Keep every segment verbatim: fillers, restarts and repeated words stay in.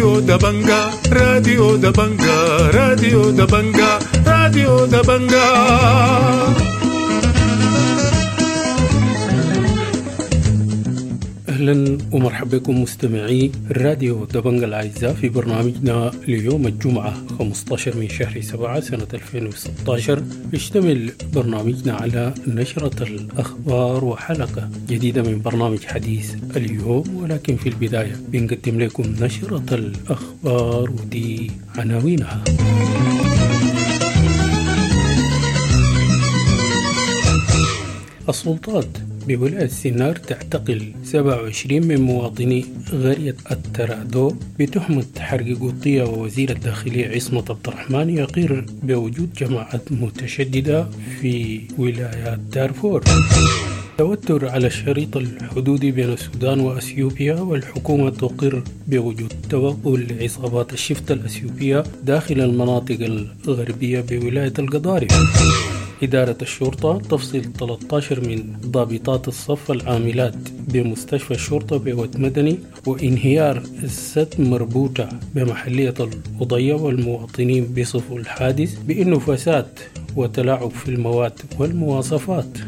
راديو دبنجا راديو دبنجا راديو دبنجا راديو دبنجا. أهلا ومرحبا بكم مستمعي راديو دبنجا الأعزاء في برنامجنا ليوم الجمعة خمسة عشر من شهر سبعة سنة ألفين وستة عشر. يشتمل برنامجنا على نشرة الأخبار وحلقة جديدة من برنامج حديث اليوم، ولكن في البداية بنقدم لكم نشرة الأخبار ودي عناوينها. السلطات بولاية سنار تعتقل سبعة وعشرين من مواطني قرية الترادو بتهمة حرق قطية، ووزير الداخلية عصمت عبد الرحمن يقر بوجود جماعات متشددة في ولايات دارفور. توتر على الشريط الحدودي بين السودان وأثيوبيا، والحكومة تقر بوجود توغل لعصابات الشفت الأثيوبية داخل المناطق الغربية بولاية القضارف. إدارة الشرطة تفصل ثلاثة عشر من ضابطات الصف العاملات بمستشفى الشرطة بود مدني، وانهيار السد مربوطة بمحلية القضية، والمواطنين بيصفوا الحادث بأنه فساد وتلاعب في المواد والمواصفات.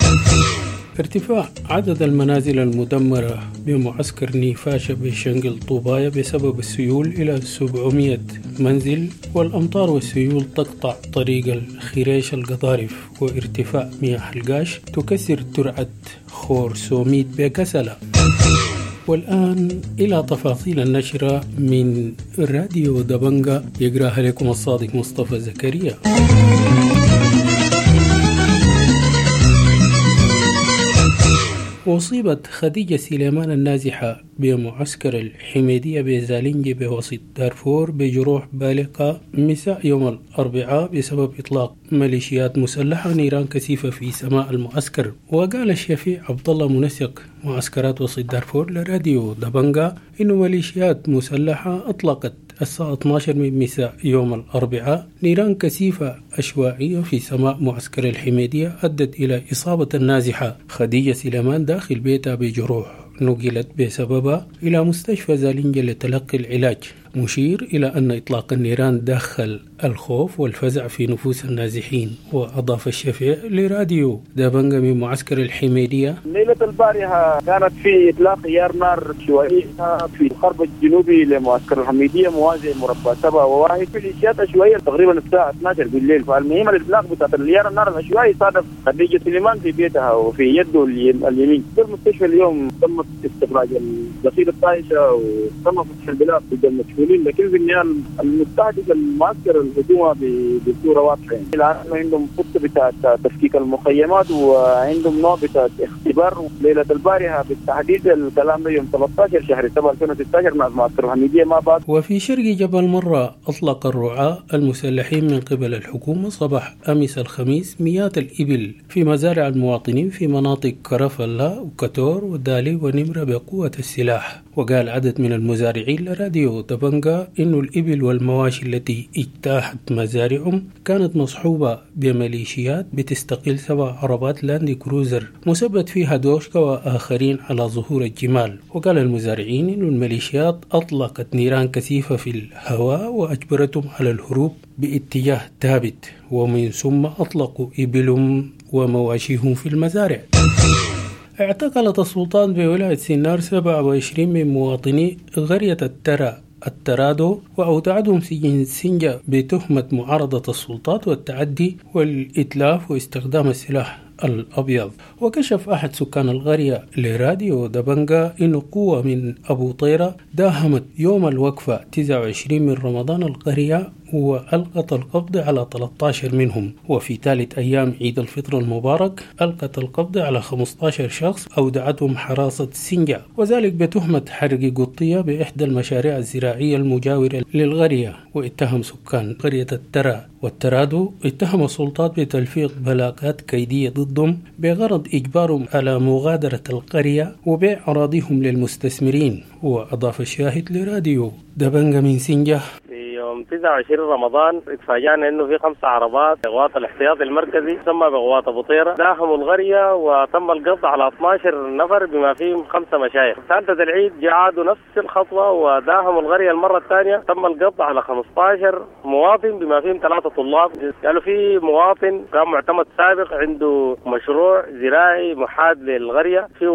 ارتفاع عدد المنازل المدمرة بمعسكر نيفاشا بشنقل طوبايا بسبب السيول إلى سبعمائة منزل، والأمطار والسيول تقطع طريق الخريش القضارف، وارتفاع مياه القاش تكسر ترعة خورسوميت بكسلة. والآن إلى تفاصيل النشرة من راديو دبنجا يقراها لكم الصادق مصطفى زكريا. أصيبت خديجة سليمان النازحة بمعسكر الحميدية بزالنجي بوسط دارفور بجروح بالغة مساء يوم الأربعاء بسبب إطلاق ميليشيات مسلحة نيران كثيفة في سماء المعسكر. وقال الشفيع عبد الله منسق معسكرات وسط دارفور لراديو دبنجا إنه ميليشيات مسلحة أطلقت الساعة اثنا عشر من مساء يوم الأربعاء نيران كثيفة عشوائية في سماء معسكر الحميدية أدت إلى إصابة النازحة خديجة سليمان داخل بيتها بجروح نقلت بسببها إلى مستشفى زالنجا لتلقي العلاج، مشير إلى أن إطلاق النيران دخل الخوف والفزع في نفوس النازحين. وأضاف الشفيع لراديو دبنجا من معسكر الحميدية: ليلة البارحة كانت في إطلاق عيار نار عشوائية في القرب الجنوبي لمعسكر الحميدية موازي مربع سبعة وواحد في الإشياء عشوائية تقريبا الساعة اثنا عشر بالليل. فالمهم الإطلاق بتاعت العيار النار العشوائي صادف خديجة سليمان في بيتها وفي يده اليمين. في المستشفى اليوم تم استخراج الذخيرة الطائشة وتم فتح البلاغ ضد المجهولين، لكن في النهاية المستهدف المعسكر الحكومة بصورة واضحة. الآن عندهم خطة بتاعت تفكيك المخيمات وعندهم نوع بتاعت اختبار. ليلة البارحة بالتحديد الكلام ده يوم ثلاثة عشر شهر سبعة ألفين وستة عشر مع معسكر الحميدية ما بعد. وفي شرق جبل مرة أطلق الرعاة المسلحين من قبل الحكومة صباح أمس الخميس مئات الإبل في مزارع المواطنين في مناطق كرفلا وكتور ودالي ونمرة بقوة السلاح. وقال عدد من المزارعين لراديو دبنجا إن الإبل والمواشي التي اجتاحت مزارعهم كانت مصحوبة بميليشيات بتستقل سبع عربات لاند كروزر مثبت فيها دوشكا وآخرين على ظهور الجمال. وقال المزارعين إن الميليشيات أطلقت نيران كثيفة في الهواء وأجبرتهم على الهروب باتجاه ثابت، ومن ثم أطلقوا إبلهم ومواشيهم في المزارع. اعتقلت السلطات بولاية سنار سبعة وعشرين من مواطني قرية الترا الترادو وأودعتهم سجن سنجة بتهمة معارضة السلطات والتعدي والإتلاف واستخدام السلاح الأبيض. وكشف أحد سكان القرية لراديو دبنجا إن قوة من أبو طيرة داهمت يوم الوقفة تسعة وعشرين من رمضان القرية وألقت القبض على ثلاثة عشر منهم. وفي ثالث أيام عيد الفطر المبارك ألقت القبض على خمسة عشر شخص أودعتهم حراسة سنجة، وذلك بتهمة حرق قطية بإحدى المشاريع الزراعية المجاورة للقرية. واتهم سكان قرية الترا والترادو اتهم السلطات بتلفيق بلاغات كيدية ضدهم بغرض إجبارهم على مغادرة القرية وبيع أراضيهم للمستثمرين. وأضاف الشاهد لراديو دبنجا من سنجة: في يوم يوم تسعة وعشرين رمضان اتفاجأنا انه في خمس عربات قوات الاحتياطي المركزي تسمى بقوات ابو طيره داهموا القرية وتم القبض على اثناشر نفر بما فيهم خمسة مشايخ. ثالثة العيد جاءوا نفس الخطوة وداهموا القرية المرة الثانية، تم القبض على خمستاشر مواطن بما فيهم ثلاثة طلاب. قالوا في مواطن كان معتمد سابق عنده مشروع زراعي محاد للقريه فيه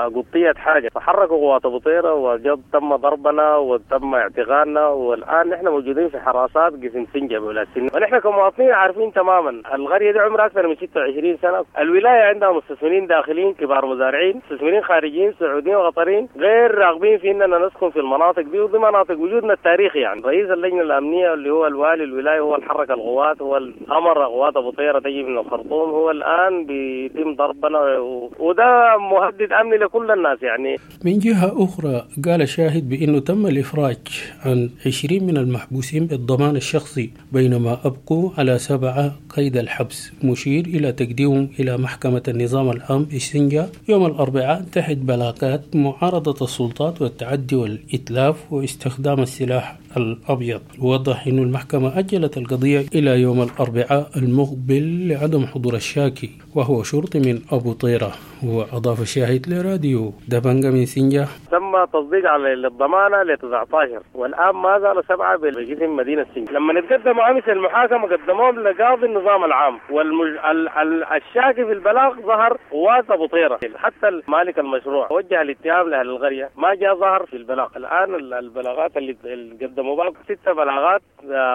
قطيه حاجة، فحركوا قوات ابو طيره وجد تم ضربنا وتم اعتقالنا، والان نحن موجودين في حراسات قسم سنجة بولاية سنة. ونحن كمواطنين عارفين تماما القرية دي عمرها اكثر من ستة وعشرين سنة، الولاية عندها مستثمرين داخليين كبار مزارعين، مستثمرين خارجيين سعوديين وقطريين غير راغبين في اننا نسكن في المناطق دي، ودي مناطق وجودنا التاريخي. يعني رئيس اللجنة الامنية اللي هو الوالي الولاية هو اللي حرك القوات، هو اللي امر قوات ابو طيره تجي من الخرطوم، هو الان بيتم ضربنا و... وده مهدد امني لكل الناس. يعني من جهة اخرى قال شاهد بانه تم الافراج عن عشرين من المحبوسين بالضمان الشخصي، بينما أبقوا على سبعة قيد الحبس، مشير إلى تقديمهم إلى محكمة النظام العام بسنجة يوم الأربعاء تحت بلاغات معارضة السلطات والتعدي والإتلاف واستخدام السلاح الأبيض. ووضح أن المحكمة أجلت القضية إلى يوم الأربعاء المقبل لعدم حضور الشاكي وهو شرطي من أبو طيرة. وأضاف الشاهد لراديو دبنجة من سنجة: تم تصديق على الضمانة ل تسعتاشر والآن ما زالوا سبعة بقسم مدينة سنجة. لما نتقدموا أمس المحاكمة قدموهم لقاضي النظام العام، والشاكي في البلاغ ظهر قوات أبو طيرة، حتى مالك المشروع وجه الاتهام لأهل القرية ما جاء ظهر في البلاغ. الآن البلاغات اللي قدموا بعض ست بلاغات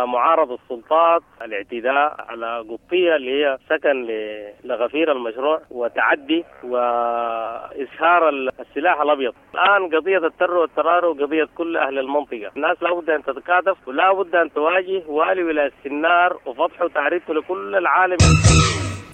معارضة السلطات، الاعتداء على قطية اللي هي سكن لغفير المشروع، وتعدي وإشهار السلاح الأبيض. الآن قضية التر والترار وقضية كل أهل المنطقة، الناس لابد أن تتكاتف ولا بد أن تواجه والي ولاية السنار وفتحه وتعريفه لكل العالم.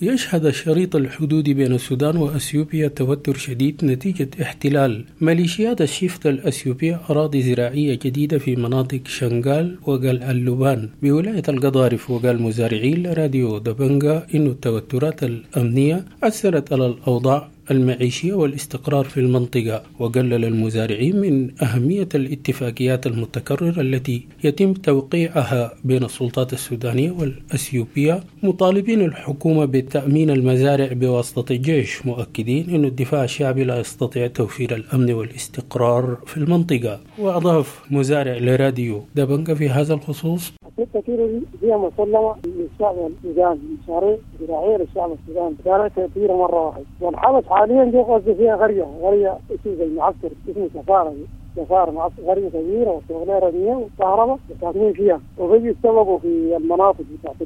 يشهد الشريط الحدودي بين السودان وأثيوبيا توتر شديد نتيجة احتلال ميليشيات الشفت الأثيوبية أراضي زراعية جديدة في مناطق شنغال وقال اللبان بولاية القضارف. وقال مزارعين لراديو دبنجا إن التوترات الأمنية أثرت على الأوضاع المعيشية والاستقرار في المنطقة، وقلل المزارعين من أهمية الاتفاقيات المتكررة التي يتم توقيعها بين السلطات السودانية والأثيوبية، مطالبين الحكومة بتأمين المزارع بواسطة الجيش، مؤكدين أن الدفاع الشعبي لا يستطيع توفير الأمن والاستقرار في المنطقة. وأضاف مزارع لراديو دبنجة في هذا الخصوص: ستة كيلو دي هي مسلمة للشعب السوداني، مشاريع زراعية للشعب السوداني، كانت كثيرة مرة واحدة. والحبس حاليا دي قصدي فيها قرية، قرية اسمه زي معسكر اسمه سفارة، سفارة معسكر، قرية كبيرة وشغلها رمية وكهرباء ساكنين فيها، وبيجي يتسوقوا في المناطق بتاعت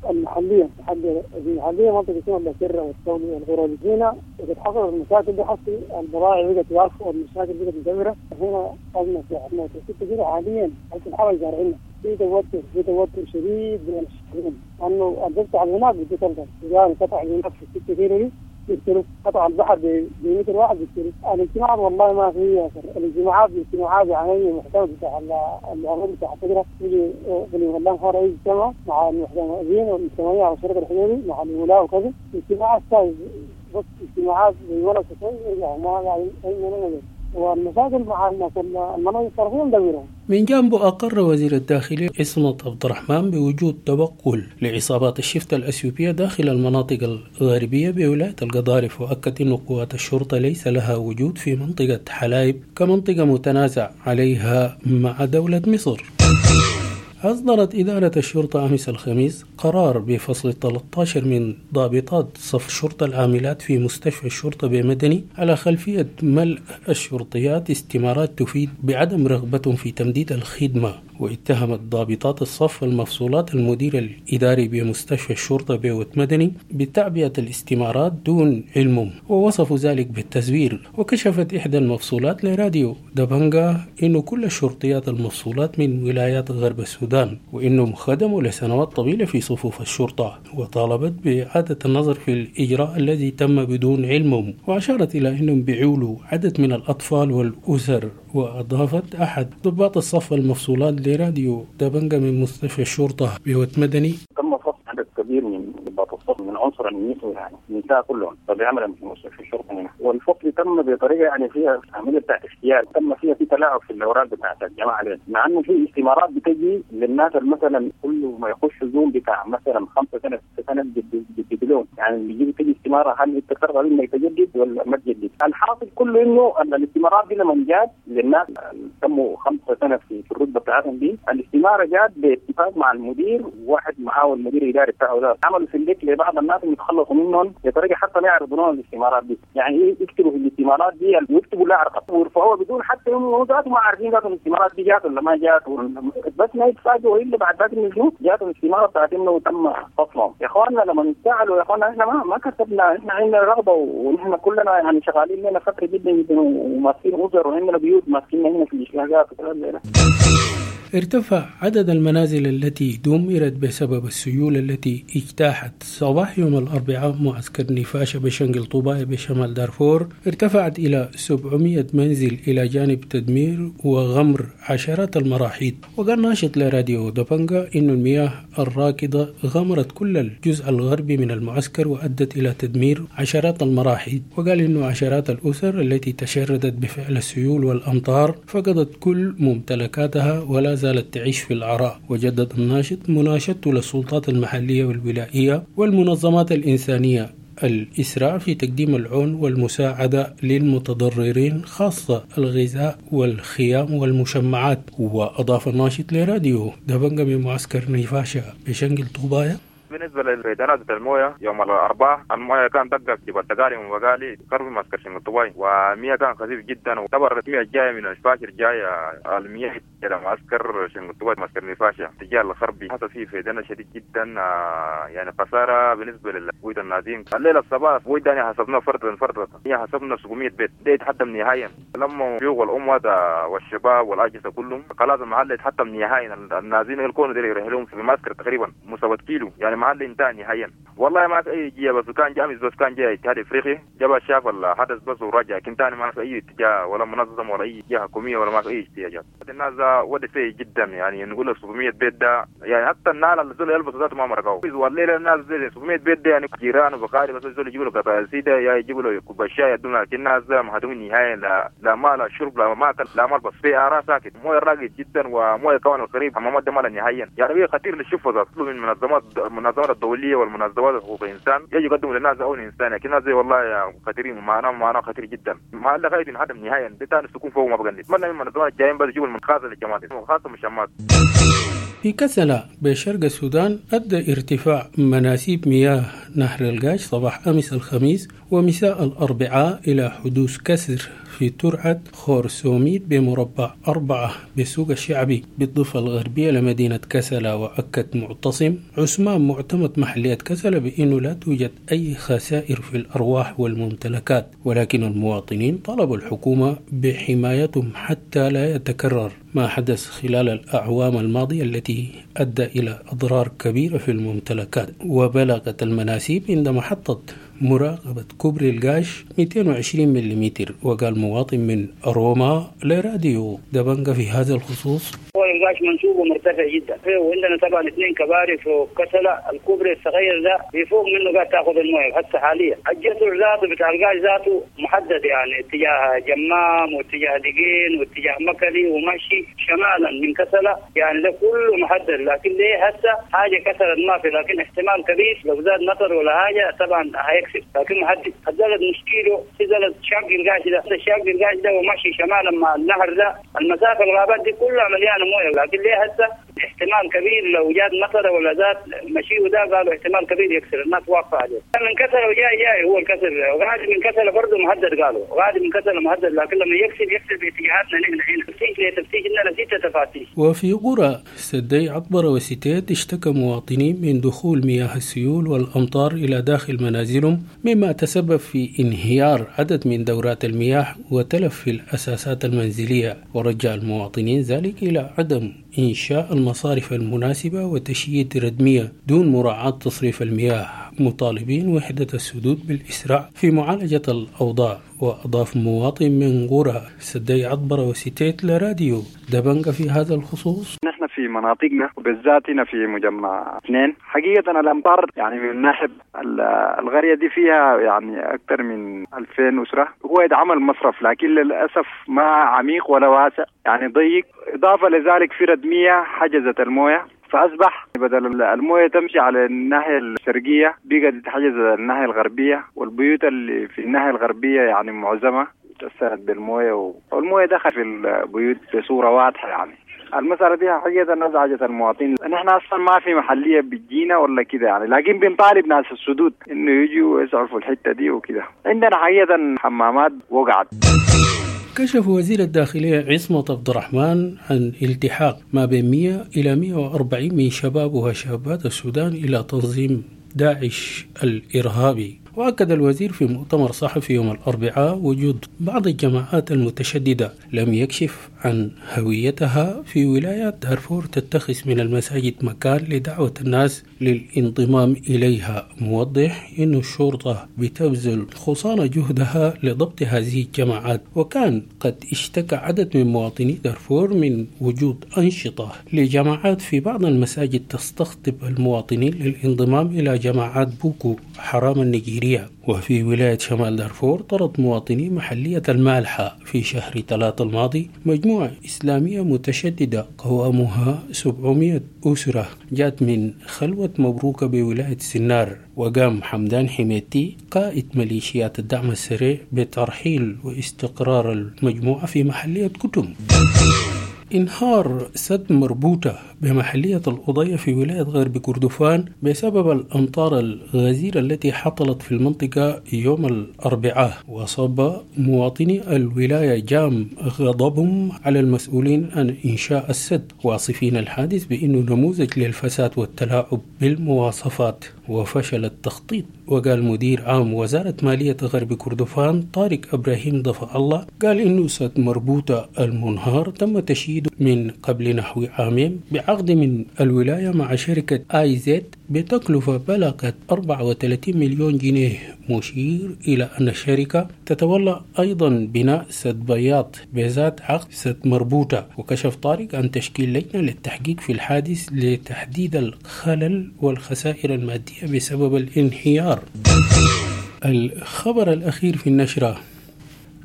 المحلية، المحلية المحلية منطقة اسمها الأسرة والثولي والغرب. هنا بتحصل المشاكل دي، حصل البضائع بقت واقفة والمشاكل بقت مدمرة. هنا أزمة في موت ستة كيلو حاليا، حتى الحبس زارعينها في توتر، في توتر شديد بين الشعبين، لأنه القطع هناك بدي تلقى السودان قطع هناك في الستة كيلو دي بيقتلوا، قطع البحر بمتر واحد بيقتلوا. الاجتماعات والله ما في أثر، الاجتماعات اجتماعات يعني محتوى بتاع العمل بتاع الفكرة يجي في خارج يجتمع مع المحتمين والمجتمعين على الشريط الحدودي مع الولاء وكذا، اجتماعات بس اجتماعات زي ولا شيء يرجعوا ما يعني أي والمشاكل مع المناطق الطرفية مدورة. من جانبه أقر وزير الداخلية عصمت عبد الرحمن بوجود توغل لعصابات الشفت الأثيوبية داخل المناطق الغربية بولاية القضارف، وأكد أن قوات الشرطة ليس لها وجود في منطقة حلايب كمنطقة متنازع عليها مع دولة مصر. أصدرت إدارة الشرطة أمس الخميس قرار بفصل ثلاثة عشر من ضابطات صف الشرطة العاملات في مستشفى الشرطة بمدني على خلفية ملء الشرطيات استمارات تفيد بعدم رغبتهم في تمديد الخدمة. واتهمت ضابطات الصف المفصولات المدير الإداري بمستشفى الشرطة بوت مدني بتعبئة الاستمارات دون علمهم، ووصفوا ذلك بالتزوير. وكشفت إحدى المفصولات لراديو دبنجا إنه كل الشرطيات المفصولات من ولايات غرب السودان، وإنهم خدموا لسنوات طويلة في صفوف الشرطة، وطالبت بإعادة النظر في الإجراء الذي تم بدون علمهم، وأشارت إلى أنهم بيعولوا عدد من الأطفال والأسر. وأضافت أحد ضباط الصف المفصولات لراديو دبنجا من مستشفى الشرطة بوت مدني: تم فصل عدد كبير من ضباط الفصل من عنصر النسوي يعني النساء كلهم فبيعملوا في مستشفى الشرطة هنا. والفصل تم بطريقة يعني فيها عملية بتاعت احتيال، تم فيها في تلاعب في الاوراق بتاعت الجماعة دي، مع انه في استمارات بتجي للناس مثلا كل ما يخش زوم بتاع مثلا خمسة سنة ست سنة بيجددوا، يعني بيجي تجي استماره هل انت ترغب انك تجدد ولا ما تجدد؟ الحاصل كله انه الاستمارات دي لما جات للناس تموا خمسة سنة في الرتبة بتاعتهم دي، الاستمارة جات باتفاق مع المدير، وواحد معاه المدير الاداري بتاعه ده، عملوا select لبعض الناس اللي يتخلصوا منهم بطريقة حتى لا يعرضوا لهم الاستمارات دي، يعني يكتبوا في الاستمارات دي ويكتبوا لا رقم ويرفعوها بدون حتى هم ذاتهم ما عارفين ذاتهم الاستمارات دي جات ولا ما جات، بس ما يتفاجئوا الا بعد ذاك انه جاتهم الاستمارة بتاعت انه تم فصلهم. يا اخواننا لما نتساءلوا يا اخواننا احنا ما ما كسبنا، احنا عندنا رغبة ونحن كلنا يعني شغالين لنا فترة جدا جدا وماسكين اسر وعندنا بيوت ماسكين هنا في الاشلاقات وكلام زي ده. ارتفع عدد المنازل التي دمرت بسبب السيول التي اجتاحت صباح يوم الأربعاء معسكر نفاشة بشنقل طوباية بشمال دارفور، ارتفعت إلى سبعمئة منزل إلى جانب تدمير وغمر عشرات المراحيض. وقال ناشط لراديو دبنجا إن المياه الراكدة غمرت كل الجزء الغربي من المعسكر وأدت إلى تدمير عشرات المراحيض. وقال إنه عشرات الأسر التي تشردت بفعل السيول والأمطار فقدت كل ممتلكاتها ولا زالت تعيش في العراء. وجدد الناشط مناشدته للسلطات المحلية والولائية والمنظمات الإنسانية الإسراع في تقديم العون والمساعدة للمتضررين، خاصة الغذاء والخيام والمشمعات. وأضاف الناشط لراديو دبنجا من معسكر نيفاشا بشنقل طوبايا: بالنسبة للفيضانات بتاع المويه يوم الاربعاء، المويه كان دقه في جبل تقاري ومقالي قرب معسكر شنقل طوباي، ومياه كان خفيف جدا، وطبعا المياه الجاية من الفاشر جاية المياه الى معسكر شنقل طوباي معسكر نفاشا اتجاه الغربي، حصل فيه فيضان شديد جدا، يعني خسارة بالنسبة للبيوت النازين. الليلة الصباح بيوت ثاني حسبناه فردا فردا، هي حسبنا سبعمئة بيت، ده يتحطم نهائيا. لما الشيوخ والاموات والشباب والاجهزة كلهم خلاص المحل يتحطم نهائيا، النازين الكون دير يرحلهم في المعسكر تقريبا مسافة كيلو، يعني محل انتهى نهائيا. والله ما في اي جيه، بس كان جامس بس كان جاي اتحاد افريقي جاب شاف الحدث بس ورجع، لكن ثاني ما في اي اتجاه ولا منظم ولا اي جهة حكومية ولا ما في اي اتجاهات. الناس ودي سيء جدا، يعني نقول سبعمئة بيت ده يعني حتى النال اللي زول يلبس ذاته ما مرقوا، والليلة الناس زي سبعمئة بيت ده يعني جيران وبقاري بس زول يجيبوا له قطع سيده يا يجيبوا له كوب شاي يدونا، لكن الناس مهدومين نهائيا، لا لا ما لا شرب لا ما اكل لا ملبس، في اراء ساكت مويه راقد جدا ومويه كمان القريب حمامات ده مال نهائيا، يعني خطير للشفه ذات. من المنظمات المنظمات الدولية والمنظمات حقوق الانسان يجي يقدموا للناس عون انساني، لكن الناس زي والله يا خطيرين معنا معنا خطير جدا، ما لا غاية انهدم نهائيا، ده ثاني السكون فوق ما بقى. نتمنى من المنظمات الجايين بس يجيبوا المخازن للجماعة خاصة مشمات. في كسلا بشرق السودان أدى ارتفاع مناسيب مياه نهر القاش صباح أمس الخميس ومساء الأربعاء إلى حدوث كسر في ترعة خورسوميت بمربع أربعة بالسوق الشعبي بالضفة الغربية لمدينة كسلا. وأكد معتصم عثمان معتمد محلية كسلا بأنه لا توجد أي خسائر في الأرواح والممتلكات، ولكن المواطنين طلبوا الحكومة بحمايتهم حتى لا يتكرر ما حدث خلال الأعوام الماضية التي أدى إلى أضرار كبيرة في الممتلكات. وبلغت المناسيب عند محطة مراقبة كوبري القاش مئتين وعشرين ملم. وقال مواطن من روما لراديو دبنجا في هذا الخصوص: هو القاش منسوبه مرتفع جدا، وعندنا طبعا اثنين كباري في كسلة، الكوبري الصغير ده بفوق منه قاعد تاخذ المويه حتى حاليا. الجسر ذاته بتاع القاش ذاته محدد، يعني اتجاه جمام واتجاه دقين واتجاه مكلي ومشي شمالا من كسلة، يعني ده كله محدد. لكن ليه هسه حاجة كسلت ما في، لكن احتمال كبير لو زاد مطر ولا حاجة طبعا هيكسر، لكن محدد. الزلد مشكلة في زلد شق القاش ده، الشق القاش ده ومشي شمالا مع النهر ده، المسافة الغابات دي كلها مليانة مويه. لكن ليه هسه احتمال كبير لو جات مطر ولا زاد مشي وده قالوا احتمال كبير يكسر، الناس واقفة عليه. من كسر وجاي جاي هو الكسر، وغادي من كسر برضه مهدد، قالوا غادي من كسر مهدد، لكن لما يكسر يكسر باتجاهاتنا نحن هنا تفتيش لتفتيش لنا ستة تفاتيش. وفي قرى سدي عطبرة وستيت اشتكى مواطنين من دخول مياه السيول والأمطار إلى داخل منازلهم، مما تسبب في انهيار عدد من دورات المياه وتلف في الأساسات المنزلية. ورجع المواطنين ذلك إلى عدم إنشاء المصارف المناسبة وتشييد ردمية دون مراعاة تصريف المياه، مطالبين وحدة السدود بالإسراع في معالجة الأوضاع. وأضاف مواطن من قرى سدي عطبرة وستيت لراديو دبنجا في هذا الخصوص: نحن في في مناطقنا وبالذات هنا في مجمع اثنين. حقيقة الأمطار يعني من ناحية القرية دي فيها يعني أكثر من ألفين أسرة. هو يتعمل مصرف لكن للأسف ما عميق ولا واسع، يعني ضيق. إضافة لذلك في ردمية حجزت الموية، فأصبح بدل الموية تمشي على الناحية الشرقية بقت تحجز الناحية الغربية، والبيوت اللي في الناحية الغربية يعني معظمها تأثرت بالموية، والموية دخل في البيوت بصورة واضحة. يعني المسألة دي حقيقة أزعجت المواطنين. نحن أصلا ما في محلية بتجينا ولا كده يعني، لكن بنطالب ناس السدود إنه يجوا ويسعفوا الحتة دي وكده. عندنا حقيقة حمامات وقعت. كشف وزير الداخلية عصمت عبد الرحمن عن التحاق ما بين مئة إلى مئة وأربعين من شباب وشابات السودان إلى تنظيم داعش الإرهابي. وأكد الوزير في مؤتمر صحفي يوم الأربعاء وجود بعض الجماعات المتشددة لم يكشف عن هويتها في ولايات دارفور تتخذ من المساجد مكان لدعوة الناس للانضمام إليها، موضح أن الشرطة بتبذل خصانة جهدها لضبط هذه الجماعات. وكان قد اشتكى عدد من مواطني دارفور من وجود أنشطة لجماعات في بعض المساجد تستقطب المواطنين للانضمام إلى جماعات بوكو حرام النيجيرية. وفي ولاية شمال دارفور طرد مواطني محلية المالحة في شهر ثلاثة الماضي مجموعة إسلامية متشددة قوامها سبعمائة أسرة جاءت من خلوة مبروكة بولاية سنار. وقام حمدان حميتي قائد ميليشيات الدعم السريع بترحيل واستقرار المجموعة في محلية كتم. انهار سد مربوطة بمحلية القضية في ولاية غرب كردفان بسبب الأمطار الغزيرة التي حصلت في المنطقة يوم الأربعاء، وصب مواطني الولاية جام غضبهم على المسؤولين عن إنشاء السد، واصفين الحادث بأنه نموذج للفساد والتلاعب بالمواصفات وفشل التخطيط. وقال مدير عام وزارة مالية غرب كردفان طارق إبراهيم ضفع الله قال إنه سد مربوطة المنهار تم تشييده من قبل نحو عامين بعقد من الولاية مع شركة آي زد بتكلفة بلغت أربعة وثلاثين مليون جنيه، مشير إلى أن الشركة تتولى أيضا بناء سد بياض بذات عقد سد مربوطة. وكشف طارق عن تشكيل لجنة للتحقيق في الحادث لتحديد الخلل والخسائر المادية بسبب الانهيار. الخبر الأخير في النشرة: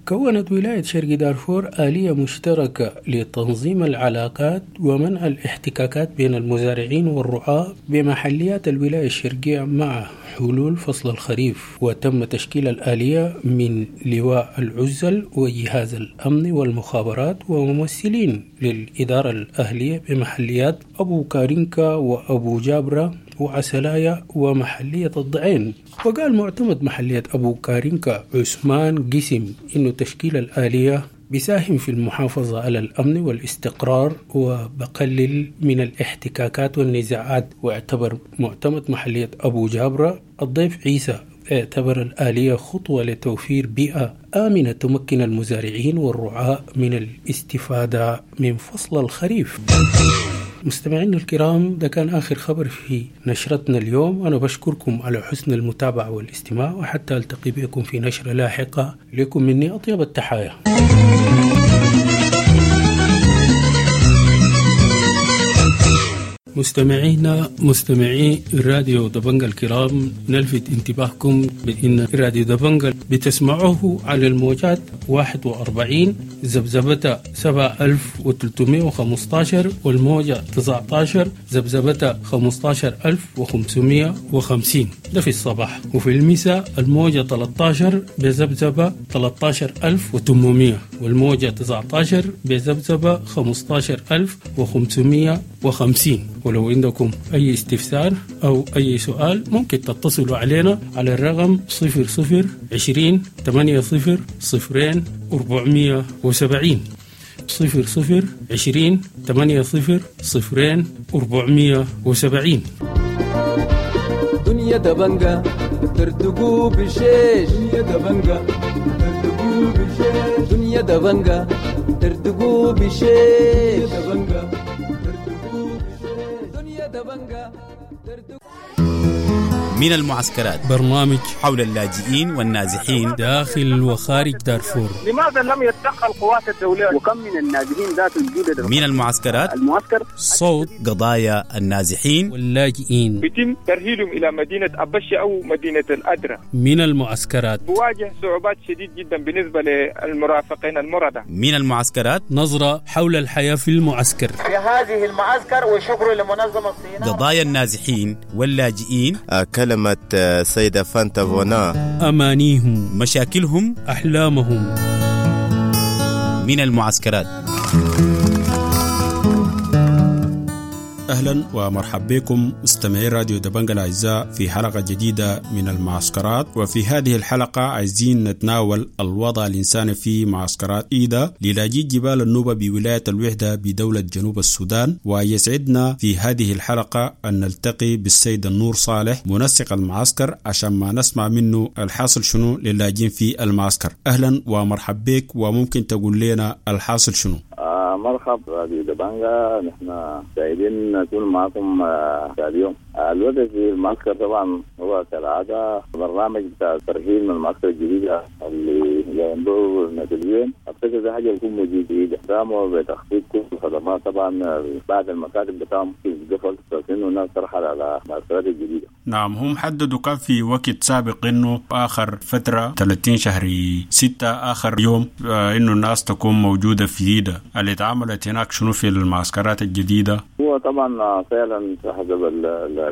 كونت ولاية شرق دارفور آلية مشتركة لتنظيم العلاقات ومنع الاحتكاكات بين المزارعين والرعاة بمحليات الولاية الشرقية مع حلول فصل الخريف. وتم تشكيل الآلية من لواء العزل وجهاز الأمن والمخابرات وممثلين للإدارة الأهلية بمحليات أبو كارينكا وأبو جابرة وعسلايا ومحلية الضعين. وقال معتمد محلية أبو كارينكا عثمان قسم إنه تشكيل الآلية بيساهم في المحافظة على الأمن والاستقرار وبقلل من الاحتكاكات والنزاعات. واعتبر معتمد محلية أبو جابرة الضيف عيسى اعتبر الآلية خطوة لتوفير بيئة آمنة تمكن المزارعين والرعاة من الاستفادة من فصل الخريف. مستمعينا الكرام، ده كان آخر خبر في نشرتنا اليوم. أنا بشكركم على حسن المتابعة والاستماع، وحتى ألتقي بكم في نشرة لاحقة. لكم مني أطيب التحايا. مستمعينا مستمعي راديو دبنجا الكرام، نلفت انتباهكم بأن راديو دبنجا بتسمعوه على الموجات واحد وأربعين ذبذبة سبعة ألف وثلاثمائة وخمسة عشر والموجة تسعة عشر ذبذبة خمسة عشر ألف وخمسمائة وخمسين، ده في الصباح. وفي المساء الموجة ثلاثة عشر بذبذبة ثلاثة عشر ألف وثمانمائة والموجة تسعة عشر بذبذبة خمسة عشر ألف وخمسمائة وخمسين. ولو عندكم أي استفسار أو أي سؤال ممكن تتصلوا علينا على الرقم صفر صفر عشرين ثمانية صفر صفرين أربعمية وسبعين، صفر صفر عشرين ثمانية صفر صفرين أربعمية وسبعين. دنيا دبنجة ترتقو بشيش، دنيا دبنجة ترتقو بشيش، دنيا دبنجة ترتقو بشيش، دنيا دبنجة ترتقو. من المعسكرات، برنامج حول اللاجئين والنازحين داخل وخارج دارفور. لماذا لم يتدخل قوات الدولة؟ وكم من النازحين ذات الجدد من المعسكرات، المعسكر صوت قضايا النازحين واللاجئين. يتم ترحيلهم إلى مدينة أبشي أو مدينة الأدرة. من المعسكرات بواجه صعوبات شديد جدا بالنسبة للمرافقين المرضى. من المعسكرات، نظرة حول الحياة في المعسكر، في هذه المعسكر، وشكر لمنظمة الصينية. قضايا النازحين واللاجئين، كلمة سيدة فانتا فونا، أمانيهم، مشاكلهم، أحلامهم. من المعسكرات. أهلا ومرحبا بكم مستمعي راديو دبنجا الأعزاء في حلقة جديدة من المعسكرات. وفي هذه الحلقة عايزين نتناول الوضع الإنساني في معسكرات إيدا للاجئي جبال النوبة بولاية الوحدة بدولة جنوب السودان. ويسعدنا في هذه الحلقة أن نلتقي بالسيد النور صالح منسق المعسكر عشان ما نسمع منه الحاصل شنو للاجئين في المعسكر. أهلا ومرحبا بك، وممكن تقول لنا الحاصل شنو؟ آه مرحبا راديو دبنجا، نحن سعيدين نكون معكم آه اليوم. آه الوضع في المعسكر طبعا هو كالعادة برنامج بتاع الترحيل من المعسكر الجديدة اللي ينظر نتلفزيون. أفتكر ده حاجة بتكون موجودة جديدة، قاموا بتخفيض كل الخدمات طبعا بعد المكاتب بتاعهم قفل، فإنه الناس ترحل على المعسكرات الجديدة. نعم، هم حددوا كان في وقت سابق إنه آخر فترة ثلاثين شهر ستة آخر يوم آه إنه الناس تكون موجودة في إيدا. اللي اتعملت هناك شنو في المعسكرات الجديدة؟ هو طبعا فعلا حسب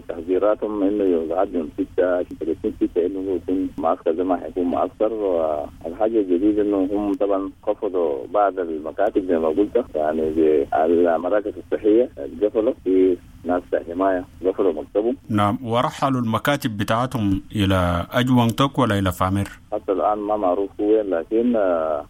تحذيراتهم انه يقعد يوم ستة ثلاثين ستة انه يكون معسكر زي ما حيكون معسكر. والحاجة الجديدة انه هم طبعا خفضوا بعض المكاتب زي ما قلت، يعني المراكز الصحية قفلوا، في ناس حماية قفلوا مكتبهم. نعم، ورحلوا المكاتب بتاعتهم إلى أجوان توك ولا إلى فامير؟ حتى الآن ما معروف وين، لكن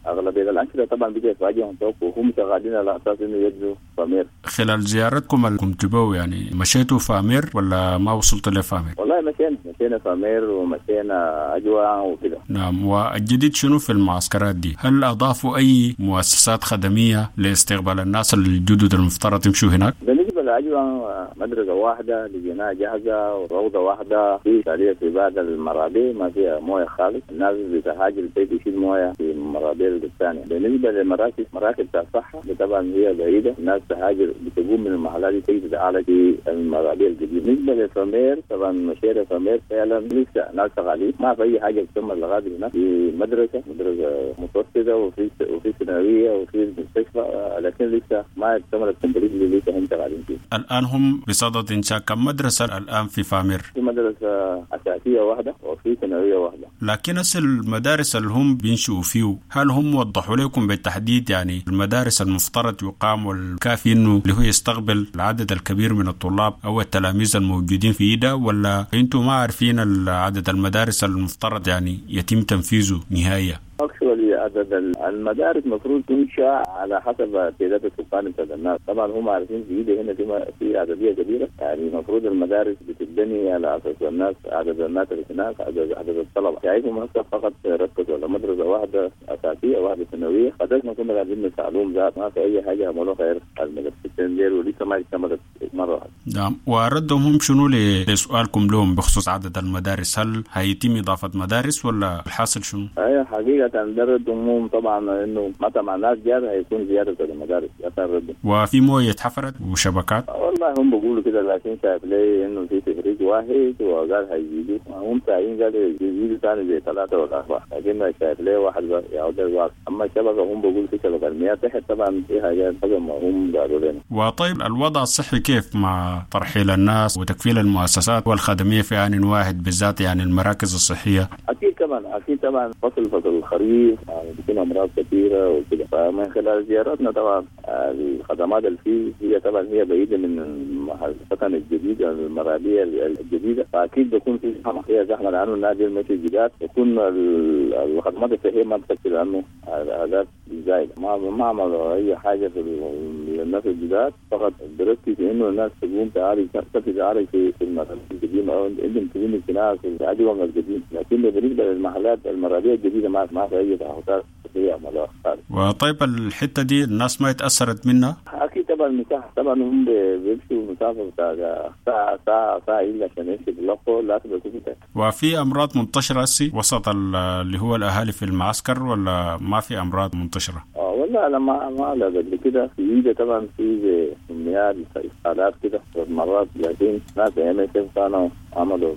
أغلبية الأنشطة طبعا بقت في أجوان توك وهم شغالين على أساس إنه يجوا فامير. خلال زيارتكم اللي كنتوا بو يعني مشيتوا فامير ولا ما وصلت لفامير؟ والله مشينا مشينا فامير ومشينا أجوان وكده. نعم، والجديد شنو في المعسكرات دي؟ هل أضافوا أي مؤسسات خدمية لاستقبال الناس الجدد المفترض يمشوا هناك؟ بالنسبة لأجوان مدرسة واحدة لقيناها جاهزة وروضة واحدة، في شالية في بعض المرابي ما فيها موية خالص، الناس بتهاجر البيت يشيل موية في المرابي الثانية. بالنسبة للمراكز، مراكز الصحة طبعا هي بعيدة، الناس تهاجر بتقوم من المحلات دي تيجي تتعالج في المرابي الجديدة. بالنسبة لفامير طبعا مشيرة فامير فعلا لسه ناس شغالين، ما في أي حاجة تتم لغاية هناك. في مدرسة مدرسة متوسطة وفي وفي ثانوية وفي مستشفى، لكن لسه ما اكتملت complete، لسه هم شغالين فيه. الآن هم بصدد إنشاء كم مدرسة الآن في فامير؟ في مدرسة أساسية واحدة وفي ثانوية واحدة. لكن أصل المدارس اللي هم بينشئوا فيه هل هم وضحوا لكم بالتحديد يعني المدارس المفترض يقام والكافي إنه اللي هو يستقبل العدد الكبير من الطلاب أو التلاميذ الموجودين في إيدا، ولا أنتم ما عارفين عدد المدارس المفترض يعني يتم تنفيذه نهائيا؟ Actually عدد المدارس المفروض تنشأ على حسب تعداد السكان بتاع الناس. طبعا هم عارفين في إيدا هنا في في عددية كبيرة، يعني المفروض المدارس بتتبني على اساس الناس، عدد الناس اللي هناك، عدد عدد الطلبة. شايفهم هسه فقط ركزوا على مدرسه واحدة اساسية واحدة ثانوية، قدرنا ما كنا قاعدين نسالهم ذات ما في اي حاجة عملوها غير المدرستين ديل ولسه ما اكتملت مرة واحدة. نعم، وردهم هم شنو لسؤالكم لهم بخصوص عدد المدارس؟ هل هيتم اضافه مدارس ولا الحاصل شنو؟ ايوه حقيقة درد هموم طبعا انه متى مع الناس جاب هيكون زيادة في المدارس. وفي مويه اتحفرت وشبكات؟ والله هم بيقولوا كده، لكن شايف لي انه في تفريج واحد وقال هيزيدوا، هم ساعين قالوا يزيدوا ثاني زي ثلاثة ولا اربعة، لكن شايف لي واحد يعود الواحد. اما الشبكة هم بيقولوا في شبكة المياه تحت طبعا في حاجات ما هم قالوا لنا. وطيب الوضع الصحي كيف مع ترحيل الناس وتكفيل المؤسسات والخدميه في آن واحد بالذات يعني المراكز الصحية؟ اكيد طبعا اكيد طبعا فصل فصل الخريف يعني بيكون امراض كثيرة وكده. فمن خلال زياراتنا طبعا الخدمات اللي فيه هي طبعا هي بعيدة من السكن الجديد المرابيه الجديدة، فاكيد بيكون في زحمة، هي زحمة لانه النادي المشي الجداد يكون الخدمات الصحية ما بتكفي لانه الاعداد زايدة. ما ما عملوا اي حاجة في الناس الجداد، فقط بركز انه الناس تقوم تعالج تتعالج في في المرابيه القديمة او عندهم كلينيك هناك في العدوى القديم، لكن بالنسبة للمحلات المرابيه الجديدة ما ما في اي تعهدات صحية عملوها خالص. وطيب الحتة دي الناس ما اتاثرت منها؟ اكيد طبعا حسب المساحة طبعا هم بيمشوا مسافة بتاع ساعة ساعة ساعة الا عشان يمشي بلقوا لازم يكون وفي امراض منتشرة هسي وسط اللي هو الاهالي في المعسكر ولا ما في امراض منتشرة؟ اه والله انا ما ما لا قبل كده في ايده طبعا في كميات اسهالات كده مرات، لكن ناس MSF كانوا عملوا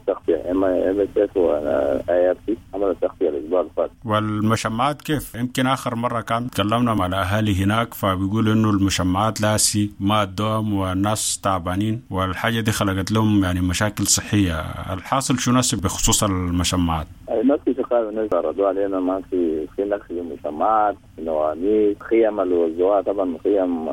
تغطية ام اس اف واي ار سي عملوا تغطية الاسبوع اللي فات. والمشمعات كيف؟ يمكن اخر مرة كان تكلمنا مع الاهالي هناك فبيقولوا انه المشمعات لاسي ما ادوهم والناس تعبانين، والحاجة دي خلقت لهم يعني مشاكل صحية. الحاصل شو ناس بخصوص المشمعات؟ ما في شقاوة، الناس عرضوا علينا ما في في نقص في المشمعات، في نواميس، خيم اللي وزعوها طبعا خيم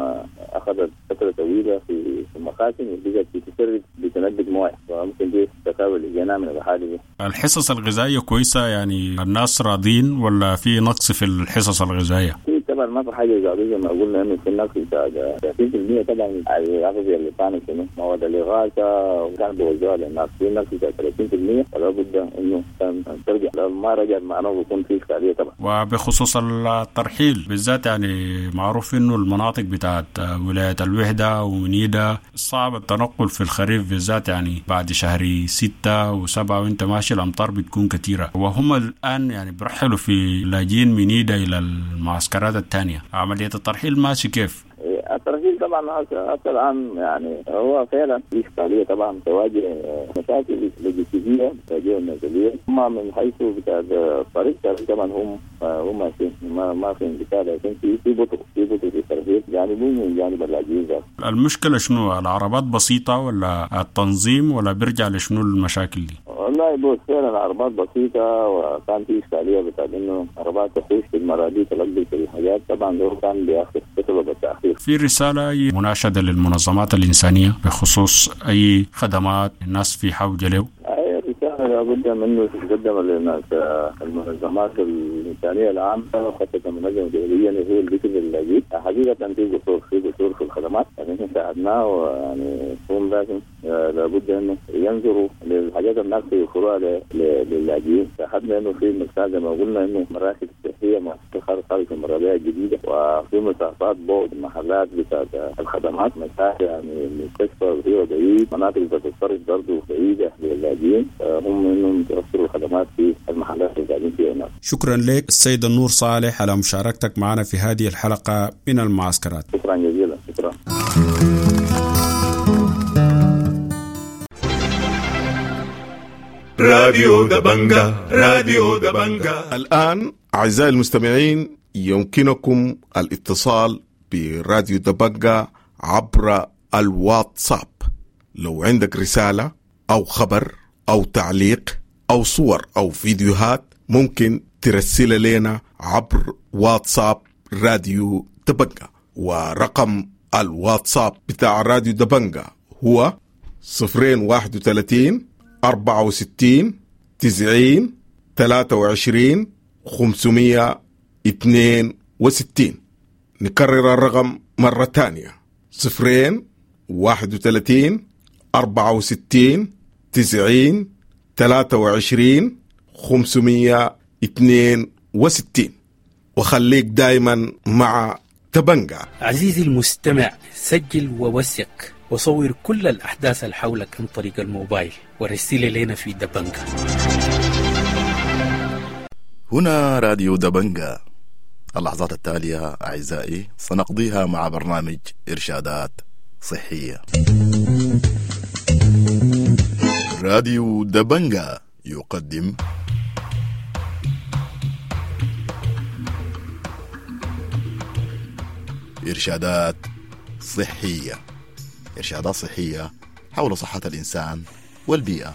اخذت فترة طويلة في المخازن وبقت بتسرب بتنبت مويه، فممكن دي الشكاوى اللي جينا من الحالة دي. الحصص الغذائية كويسة يعني الناس راضين ولا في نقص في الحصص الغذائية؟ في طبعا ما في حاجة زي ما قلنا انه في نقص بتاع ثلاثين بالمية طبعا الاغذية اللي كانت شنو مواد الاغاثة وكان بيوزعوها للناس، في نقص بتاع ثلاثين بالمية ولا بد انه كان ترجع، لو ما رجع معناه بيكون في اشكالية طبعا. وبخصوص الترحيل بالذات يعني معروف انه المناطق بتاعت ولاية الوحدة ومنيده صعب التنقل في الخريف بالذات، يعني بعد شهر ستة وسبعة وانت ماشي الامطار بتكون كثيرة، وهم الان يعني برحلوا في لاجئين منيده الى المعسكرات الثانية. عملية الترحيل ماشي كيف؟ الترحيل طبعا حتى الان يعني هو فعلا في اشكالية طبعا، تواجه مشاكل لوجستية تواجه النازليه، اما من حيث بتاع الطريق طبعا هم هم ماشيين ما ما في انقطاع، لكن في في بطء في بطء في الترحيل جانب من جانب اللاجئين. المشكلة شنو؟ العربات بسيطة ولا التنظيم ولا بيرجع لشنو المشاكل دي؟ والله بص فعلا العربات بسيطة، وكان في اشكالية بتاع انه عربات تخش في المرادي تلقي في الحاجات، طبعا ده كان بياخذ بسبب التاخير. في رسالة مناشده للمنظمات الانسانية بخصوص اي خدمات الناس في حوجه له؟ اي رسالة لابد منه تتقدم للناس المنظمات الانسانية العامة وخاصة المنظمة الدولية اللي هو البيت اللاجئ. حقيقة في قصور في قصور في الخدمات يعني احنا ساعدناه، ويعني هم لازم لابد انه ينظروا للحاجات الناقصة يوفروها للاجئين. شاهدنا انه في مساحة زي ما قلنا انه مراكز صحية مؤسسة خارج المرابيع الجديدة، وفي مسافات بعد محلات بتاعت الخدمات، مسافة يعني المستشفى هي بعيد، مناطق بتاعت الصرف برضه بعيدة للاجئين، هم انهم يوفروا الخدمات في المحلات اللي قاعدين فيها هناك. شكرا لك السيد النور صالح على مشاركتك معنا في هذه الحلقة من المعسكرات. شكرا جزيلا. شكرا. راديو دبنجا، راديو دبنجا. الآن أعزائي المستمعين يمكنكم الاتصال براديو دبنجا عبر الواتساب. لو عندك رسالة أو خبر أو تعليق أو صور أو فيديوهات ممكن ترسل لنا عبر واتساب راديو دبنجا، ورقم الواتساب بتاع راديو دبنجا هو صفرين واحد وثلاثين أربعة وستين تسعين ثلاثة وعشرين خمسمية اثنين وستين. نكرر الرقم مرة تانية: صفرين واحد وثلاثين أربعة وستين تسعين ثلاثة وعشرين خمسمية اثنين وستين. وخليك دايما مع دبنجا. عزيزي المستمع، سجل ووثق وصور كل الأحداث اللي حولك عن طريق الموبايل ورسل لنا في دبنجا. هنا راديو دبنجا. اللحظات التالية أعزائي سنقضيها مع برنامج إرشادات صحية. راديو دبنجا يقدم إرشادات صحية. إرشادات صحية حول صحة الإنسان والبيئة.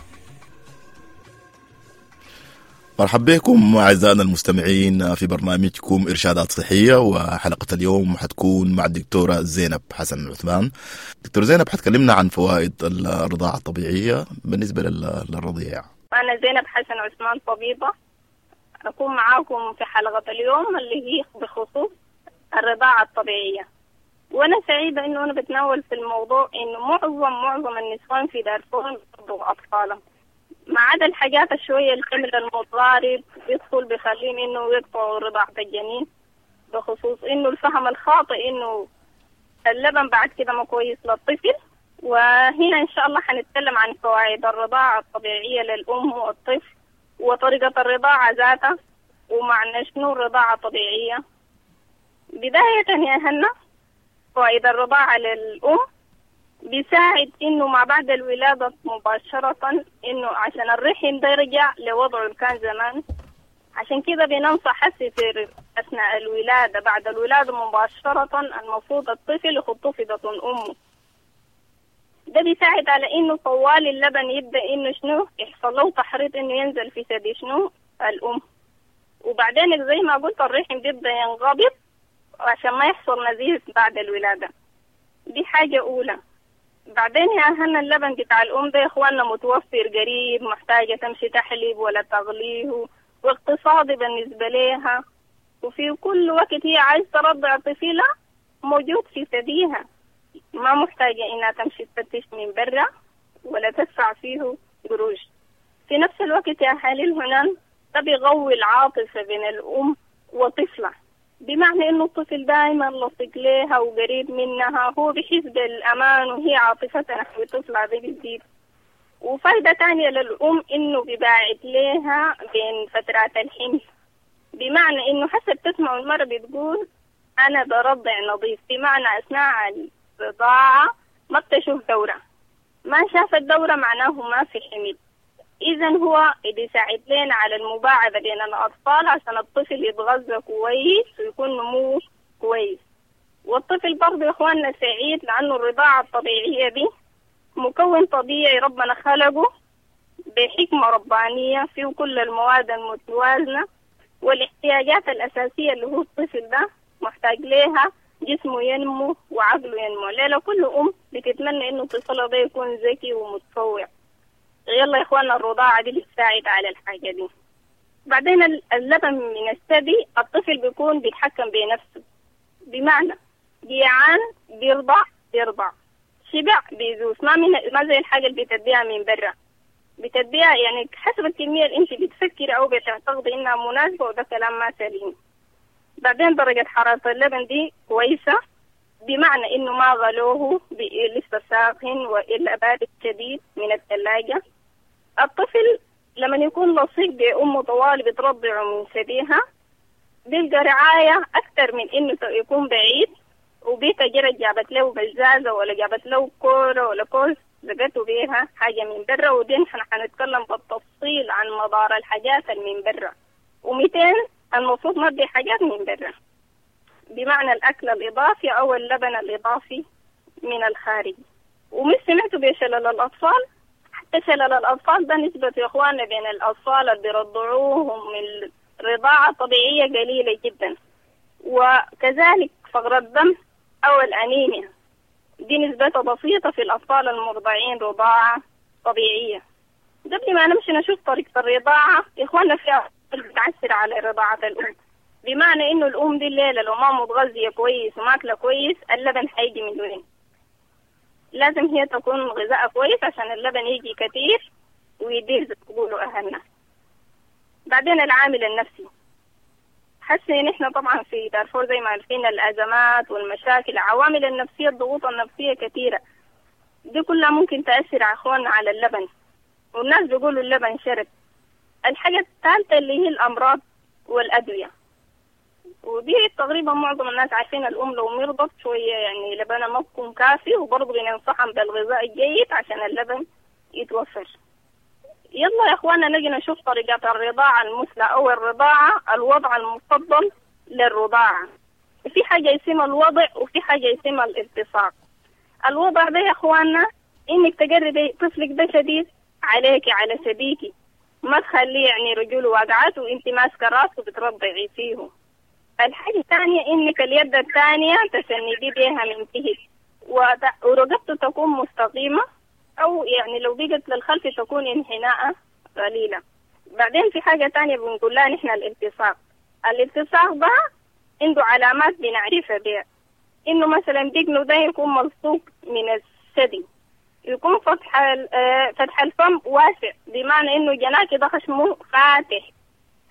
مرحبا بكم أعزائنا المستمعين في برنامجكم إرشادات صحية، وحلقة اليوم حتكون مع الدكتورة زينب حسن عثمان. دكتور زينب حتكلمنا عن فوائد الرضاعة الطبيعية بالنسبة للرضيع. أنا زينب حسن عثمان طبيبة، أكون معاكم في حلقة اليوم اللي هي بخصوص الرضاعة الطبيعية. وأنا سعيدة إنه أنا بتناول في الموضوع إنه معظم معظم النسوان في دارفور بيرضعوا أطفالهم، ما عدا الحاجات الشوية الحمل المتضارب بيدخل بيخليهم إنه يقطعوا رضاعة الجنين، بخصوص إنه الفهم الخاطئ إنه اللبن بعد كده ما كويس للطفل. وهنا إن شاء الله حنتكلم عن فوائد الرضاعة الطبيعية للأم والطفل وطريقة الرضاعة ذاتها ومعنى شنو الرضاعة الطبيعية. بداية يا هنا، فوائد الرضاعة للأم بيساعد إنه ما بعد الولادة مباشرة، إنه عشان الرحم ده يرجع لوضعه اللي كان زمان. عشان كده بننصح حسي في أثناء الولادة، بعد الولادة مباشرة المفروض الطفل يحطوه في بطن أمه. ده بيساعد على إنه طوال اللبن يبدأ إنه شنو يحصل له تحريض إنه ينزل في ثدي شنو الأم. وبعدين زي ما قلت الرحم بيبدأ ينقبض عشان ما يحصل نزيف بعد الولادة. دي حاجة أولى. بعدين يا أهلنا اللبن بتاع الأم ده يا إخواننا متوفر قريب، محتاجة تمشي تحليب ولا تغليه، واقتصادي بالنسبة لها، وفي كل وقت هي عايز ترضع طفلة موجود في ثديها، ما محتاجة إنها تمشي تفتش من برا ولا تدفع فيه قروش. في نفس الوقت يا حليل هنا ده بيقوي العاطفة بين الأم وطفلة، بمعنى إنه الطفل دائما لصق لها وقريب منها، هو بيحس بالأمان وهي عاطفتها نحو طفلها دي بتزيد. وفايدة تانية للأم إنه بيباعد لها بين فترات الحمل، بمعنى إنه حسب تسمع المرة بتقول أنا برضع نظيف، بمعنى أثناء الرضاعة ما بتشوف دورة، ما شاف الدورة معناه ما في حمل. إذا هو بيساعد لنا على المباعدة بين الأطفال عشان الطفل يتغذى كويس ويكون نموه كويس. والطفل برضه يا إخواننا سعيد لأنه الرضاعة الطبيعية دي مكون طبيعي ربنا خلقه بحكمة ربانية فيه كل المواد المتوازنة والاحتياجات الأساسية اللي هو الطفل ده محتاج لها، جسمه ينمو وعقله ينمو. ليلة كل أم بتتمنى إنه طفلها ده يكون ذكي ومتفوق. يلا يا إخواننا الرضاعة دي بتساعد على الحاجة دي. بعدين اللبن من الثدي الطفل بيكون بيتحكم بنفسه، بمعنى جيعان بيرضع بيرضع، شبع بيزوس، ما من ما زي الحاجة اللي بتديها من برا، بتديها يعني حسب الكمية اللي انت بتفكري أو بتعتقدي إنها مناسبة، وده كلام ما سليم. بعدين درجة حرارة اللبن دي كويسة، بمعنى إنه ما غلوه لسه ساخن وإلا بارد شديد من الثلاجة. الطفل لما يكون لصيق بأمه طوال بترضعه من ثديها بيلقى رعاية أكثر من إنه يكون بعيد وبيتا جرت جابت له بزازة ولا جابت له كورة ولا كوز زقته بيها حاجة من برا. ودي نحن حنتكلم بالتفصيل عن مضار الحاجات من برا. ومئتين المفروض ما بدي حاجات من برا، بمعنى الأكل الإضافي أو اللبن الإضافي من الخارج. ومش سمعتوا بشلل الأطفال؟ حتى شلل الأطفال ده نسبة يا إخواننا بين الأطفال اللي بيرضعوهم من الرضاعة الطبيعية قليلة جدا. وكذلك فقر الدم أو الأنيميا دي نسبتها بسيطة في الأطفال المرضعين رضاعة طبيعية. قبل ما نمشي نشوف طريقة الرضاعة يا إخواننا في أطفال بتعسر على رضاعة الأم، بمعنى إنه الأم دي الليلة لو ما متغذية كويس وماكلة كويس اللبن حيجي من وين؟ لازم هي تكون غذاء كويس عشان اللبن يجي كتير ويدير زي ما بيقولوا أهلنا. بعدين العامل النفسي، حاسة إن إحنا طبعا في دارفور زي ما عارفين الأزمات والمشاكل، العوامل النفسية الضغوط النفسية كثيرة، دي كلها ممكن تأثر على إخواننا على اللبن، والناس بيقولوا اللبن شرب. الحاجة الثالثة اللي هي الأمراض والأدوية، ودي تقريبا معظم الناس عارفين الأم لو مرضت شوية يعني لبنها ما بيكون كافي، وبرضه بننصحهم بالغذاء الجيد عشان اللبن يتوفر. يلا يا اخوانا نجي نشوف طريقة الرضاعة المثلى او الرضاعة، الوضع المفضل للرضاعة. في حاجة اسمها الوضع وفي حاجة اسمها الالتصاق. الوضع ده يا اخوانا انك تقربي طفلك ده شديد عليك على شبيكي، ما تخليه يعني رجوله واقعات وانت ماسكة راسه بترضعي فيه. الحاجة الثانية انك اليد الثانية تسندي بيها من تحت، ورقبته تكون مستقيمة، أو يعني لو بقت للخلف تكون انحناء قليلة. بعدين في حاجة تانية بنقول لها نحن الالتصاق. الالتصاق ده عنده علامات بنعرفها بها، إنه مثلا دقنه ده يكون ملصوق من الثدي، يكون فتح فتح الفم واسع، بمعنى إنه جناك ده خشمه فاتح.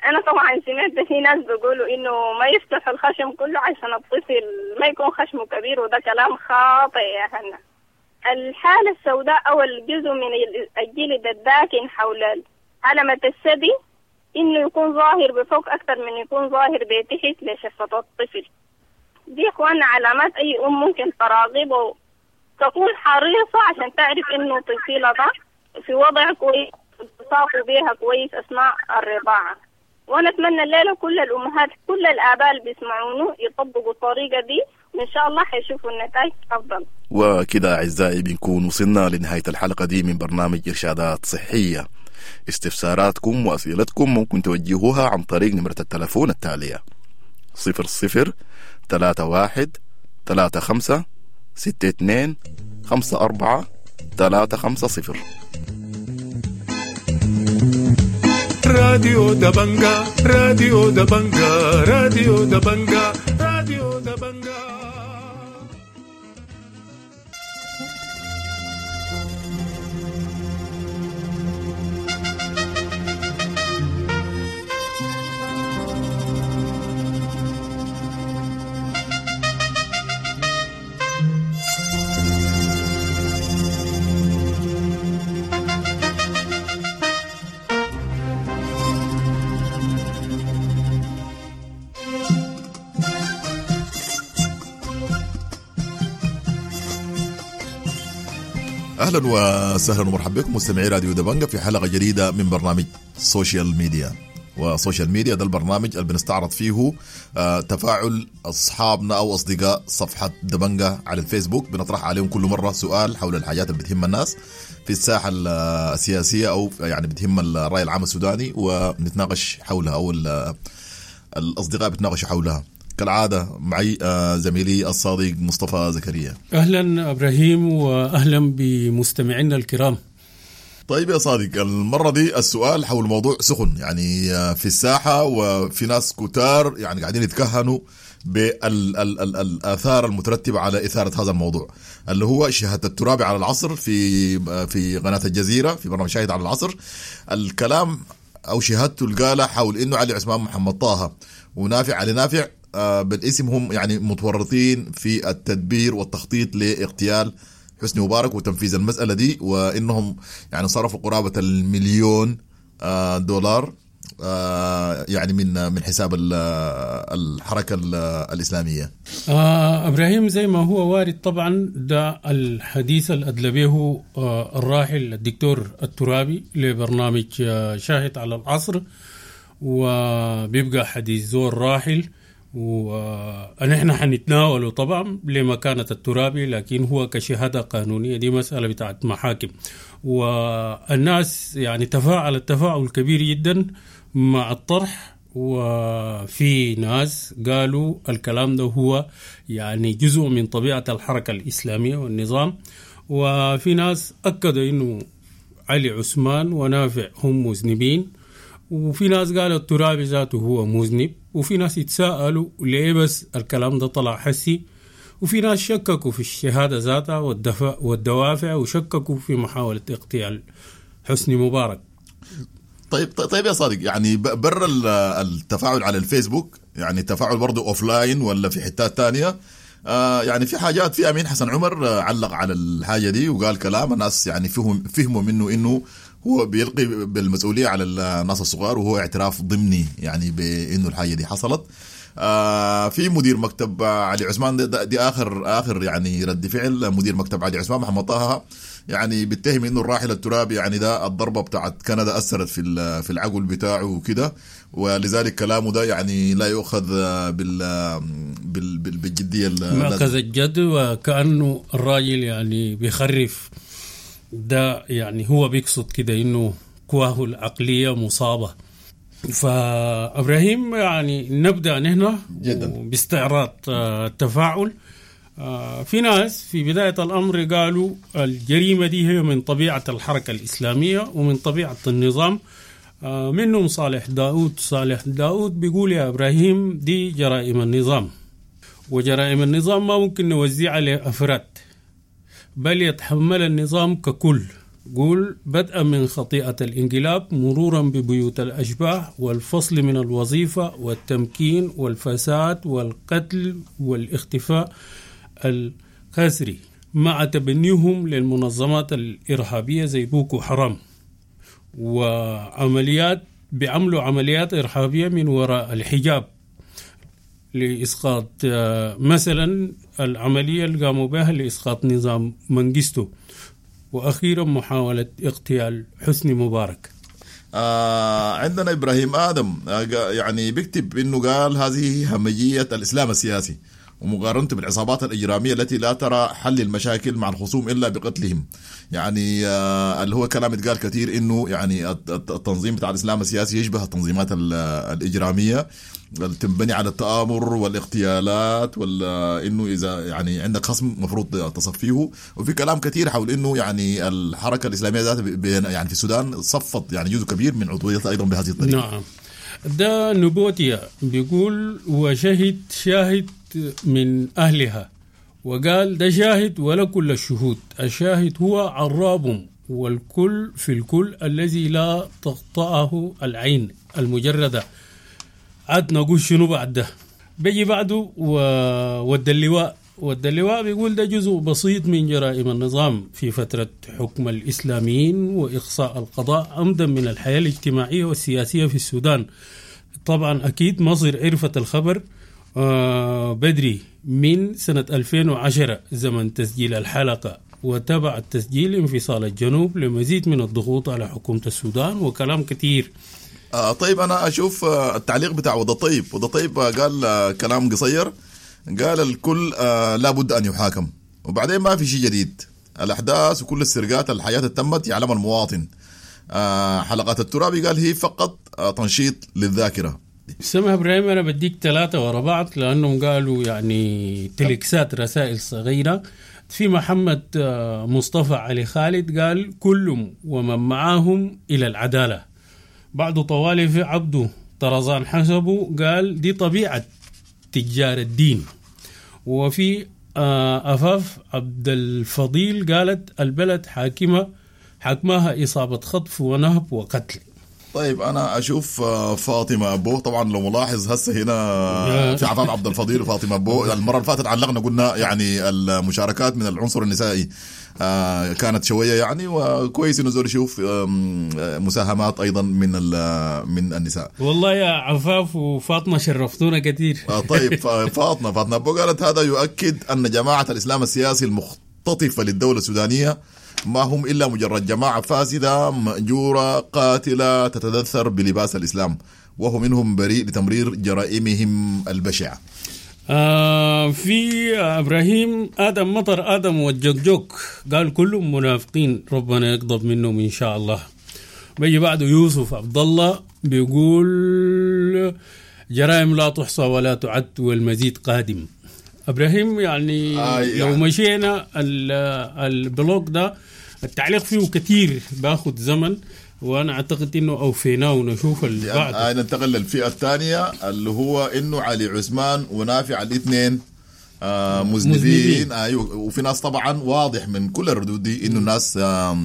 أنا طبعا سمعت في ناس بيقولوا إنه ما يفتح الخشم كله عشان الطفل ما يكون خشمه كبير، وده كلام خاطئ يا هنا. الحالة السوداء أو الجزء من الجلد الداكن حول علامة الثدي إنه يكون ظاهر بفوق أكثر من يكون ظاهر بتحت لشفة الطفل. دي إخواننا علامات أي أم ممكن تراقبه تكون حريصة عشان تعرف إنه طفلها ده في وضع كويس، التصاقوا بيها كويس أثناء الرضاعة. وأنا أتمنى الليلة كل الأمهات كل الآباء اللي بيسمعونه يطبقوا الطريقة دي، وإن شاء الله حيشوفوا النتائج أفضل. وكده أعزائي بنكون وصلنا لنهاية الحلقة دي من برنامج إرشادات صحية. استفساراتكم وأسئلتكم ممكن توجهوها عن طريق نمرة التلفون التالية: صفر صفر ثلاثة واحد ثلاثة خمسة ستة اثنين خمسة أربعة ثلاثة خمسة صفر. راديو دبنجا، راديو دبنجا، راديو دبنجا، راديو دبنجا. اهلا وسهلا ومرحبا بكم مستمعي راديو دبنجا في حلقه جديده من برنامج social media. و social media ده البرنامج اللي بنستعرض فيه تفاعل اصحابنا او اصدقاء صفحه دبنجا على الفيسبوك. بنطرح عليهم كل مره سؤال حول الحاجات اللي بتهم الناس في الساحه السياسيه او يعني بتهم الراي العام السوداني، ونتناقش حولها او الاصدقاء بيتناقشوا حولها. كالعادة معي زميلي الصديق مصطفى زكريا. أهلا إبراهيم وأهلا بمستمعينا الكرام. طيب يا صادق، المرة دي السؤال حول موضوع سخن يعني في الساحة، وفي ناس كتار يعني قاعدين يتكهنوا بالآثار المترتبة على إثارة هذا الموضوع، اللي هو شهادة الترابي على العصر في في قناة الجزيرة في برنامج شاهد على العصر. الكلام أو شهادته القالة حول إنه علي عثمان محمد طه ونافع علي نافع بالاسم هم يعني متورطين في التدبير والتخطيط لاغتيال حسني مبارك وتنفيذ المسألة دي، وإنهم يعني صرفوا قرابة المليون دولار يعني من من حساب الحركة الإسلامية. آه إبراهيم، زي ما هو وارد طبعا ده الحديث الأدلبيه الراحل الدكتور الترابي لبرنامج شاهد على العصر، وبيبقى حديث زور راحل ونحن حنتناوله طبعا لمكانة الترابي، لكن هو كشهادة قانونية دي مسألة بتاعت محاكم. والناس يعني تفاعل التفاعل كبير جدا مع الطرح، وفي ناس قالوا الكلام ده هو يعني جزء من طبيعة الحركة الإسلامية والنظام، وفي ناس أكدوا إنه علي عثمان ونافع هم مذنبين، وفي ناس قالوا الترابي ذاته هو مذنب، وفي ناس يتساءلوا ليه بس الكلام ده طلع حسي، وفي ناس شككوا في الشهادة ذاتها والدوافع، وشككوا في محاولة اغتيال حسني مبارك. طيب طيب يا صادق، يعني برا التفاعل على الفيسبوك، يعني التفاعل برضو offline ولا في حتات تانية، آه يعني في حاجات، في أمين حسن عمر علق على الحاجة دي وقال كلام الناس يعني فهم فهموا منه إنه هو بيلقي بالمسؤولية على الناس الصغار، وهو اعتراف ضمني يعني بإنه الحاجة دي حصلت. آه في مدير مكتب علي عثمان، دي, دي آخر آخر يعني رد فعل مدير مكتب علي عثمان محمد طه، يعني بيتهم إنه الراحل الترابي يعني ده الضربة بتاعت كندا أثرت في في العقل بتاعه وكده، ولذلك كلامه ده يعني لا يؤخذ بال بال بالجدية، مأخذ الجد، وكأنه الراجل يعني بيخرف ده، يعني هو بيقصد كده إنه قواه العقلية مصابة. فإبراهيم يعني نبدأ نحن باستعراض التفاعل. في ناس في بداية الأمر قالوا الجريمة دي هي من طبيعة الحركة الإسلامية ومن طبيعة النظام، منهم صالح داود. صالح داود بيقول يا إبراهيم دي جرائم النظام، وجرائم النظام ما ممكن نوزعها لأفراد، بل يتحمل النظام ككل. قول بدءا من خطيئة الانقلاب مرورا ببيوت الأشباح والفصل من الوظيفة والتمكين والفساد والقتل والاختفاء القسري مع تبنيهم للمنظمات الإرهابية زي بوكو حرام وعمليات، بيعملوا عمليات إرهابية من وراء الحجاب لإسقاط مثلا العملية اللي قاموا بها لإسقاط نظام منجستو، وأخيرا محاولة اغتيال حسني مبارك. آه عندنا إبراهيم آدم يعني بيكتب إنه قال هذه همجية الإسلام السياسي ومقارنته بالعصابات الإجرامية التي لا ترى حل المشاكل مع الخصوم إلا بقتلهم. يعني آه اللي هو كلام اتقال كثير إنه يعني التنظيم بتاع الإسلام السياسي يشبه التنظيمات الإجرامية اللي تنبني على التآمر والاغتيالات، ولا إنه إذا يعني عندك خصم مفروض تصفيه. وفي كلام كثير حول إنه يعني الحركة الإسلامية ذاتها يعني في السودان صفت يعني جزء كبير من عضويتها أيضا بهذه الطريقة. نعم، ده نبوتيا بيقول وشهد شاهد من أهلها وقال ده شاهد ولا كل الشهود، الشاهد هو عراب والكل في الكل الذي لا تقطعه العين المجردة. عاد نقول شنو بعد ده؟ بيجي بعده ود اللواء، ود اللواء بيقول ده جزء بسيط من جرائم النظام في فترة حكم الإسلاميين وإقصاء القضاء عمدا من الحياة الاجتماعية والسياسية في السودان. طبعا أكيد مصر عرفت الخبر آه بدري من سنة ألفين وعشرة زمن تسجيل الحلقة، وتبع التسجيل انفصال الجنوب لمزيد من الضغوط على حكومة السودان وكلام كتير. آه طيب أنا أشوف التعليق بتاع وضع طيب. وضع طيب قال آه كلام قصير، قال الكل آه لابد أن يحاكم، وبعدين ما في شيء جديد، الأحداث وكل السرقات الحياة تمت يعلم المواطن. آه حلقات الترابي قال هي فقط آه تنشيط للذاكرة. سمح إبراهيم أنا بديك ثلاثة ورا بعض لأنهم قالوا يعني تلكسات رسائل صغيرة. في محمد مصطفى علي خالد قال كلهم ومن معاهم إلى العدالة. بعد طوالي في عبده طرزان حسبه قال دي طبيعة تجار الدين. وفي أفاف عبد الفضيل قالت البلد حاكمة حكمها إصابة خطف ونهب وقتل. طيب أنا أشوف فاطمة أبو، طبعا لو ملاحظ هسه هنا في عفاف عبد الفضيل وفاطمة أبو. المرة اللي فاتت علقنا قلنا يعني المشاركات من العنصر النسائي كانت شوية يعني، وكويس إنه زول يشوف مساهمات أيضا من من النساء. والله يا عفاف وفاطمة شرفتونا كثير. طيب فاطمة فاطمة أبو قالت هذا يؤكد أن جماعة الإسلام السياسي المختطفة للدولة السودانية ما هم إلا مجرد جماعة فاسدة مأجورة قاتلة تتدثر بلباس الإسلام، وهو منهم بريء لتمرير جرائمهم البشعة. آه في إبراهيم آدم مطر آدم والجوك قال كلهم منافقين ربنا يغضب منهم إن شاء الله. بيجي بعده يوسف عبد الله بيقول جرائم لا تحصى ولا تعد والمزيد قادم. إبراهيم يعني, آه يعني لو مشينا ال blog ده التعليق فيه كثير باخد زمن، وأنا أعتقد إنه أوفيناه ونشوف اللي بعده. آه ننتقل للفئة الثانية اللي هو إنه علي عثمان ونافع الاثنين آه مذنبين. مذنبين. آه وفي ناس طبعا واضح من كل الردود دي إنه الناس آه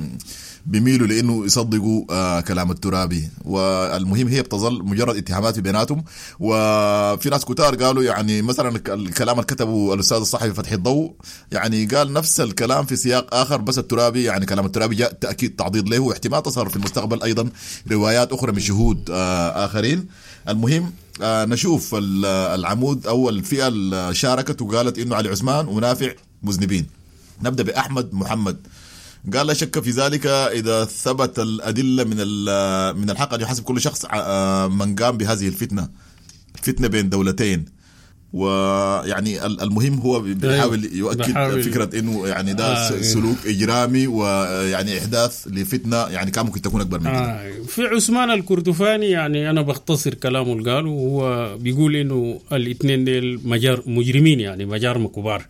بيميلوا لأنه يصدقوا آه كلام الترابي، والمهم هي بتظل مجرد اتهامات في بيناتهم. وفي ناس كتار قالوا يعني مثلا الكلام اللي كتبه الأستاذ الصحفي فتحي الضوء يعني قال نفس الكلام في سياق آخر، بس الترابي يعني كلام الترابي جاء تأكيد تعضيد له، واحتمال تظهر في المستقبل أيضا روايات أخرى من شهود آه آخرين. المهم آه نشوف العمود أو الفئة اللي شاركت وقالت إنه علي عثمان ونافع مذنبين. نبدأ بأحمد محمد، قال لا شك في ذلك إذا ثبت الأدلة من من الحق أن يحاسب كل شخص من قام بهذه الفتنة، فتنة بين دولتين. ويعني المهم هو بيحاول يؤكد بحاول فكرة إنه يعني ده آه سلوك إجرامي ويعني إحداث لفتنة يعني كان ممكن تكون أكبر من كده. آه في عثمان الكردفاني يعني أنا بختصر كلامه اللي قاله، وهو بيقول إنه الاثنين ديل مجار مجرمين يعني مجارم كبار.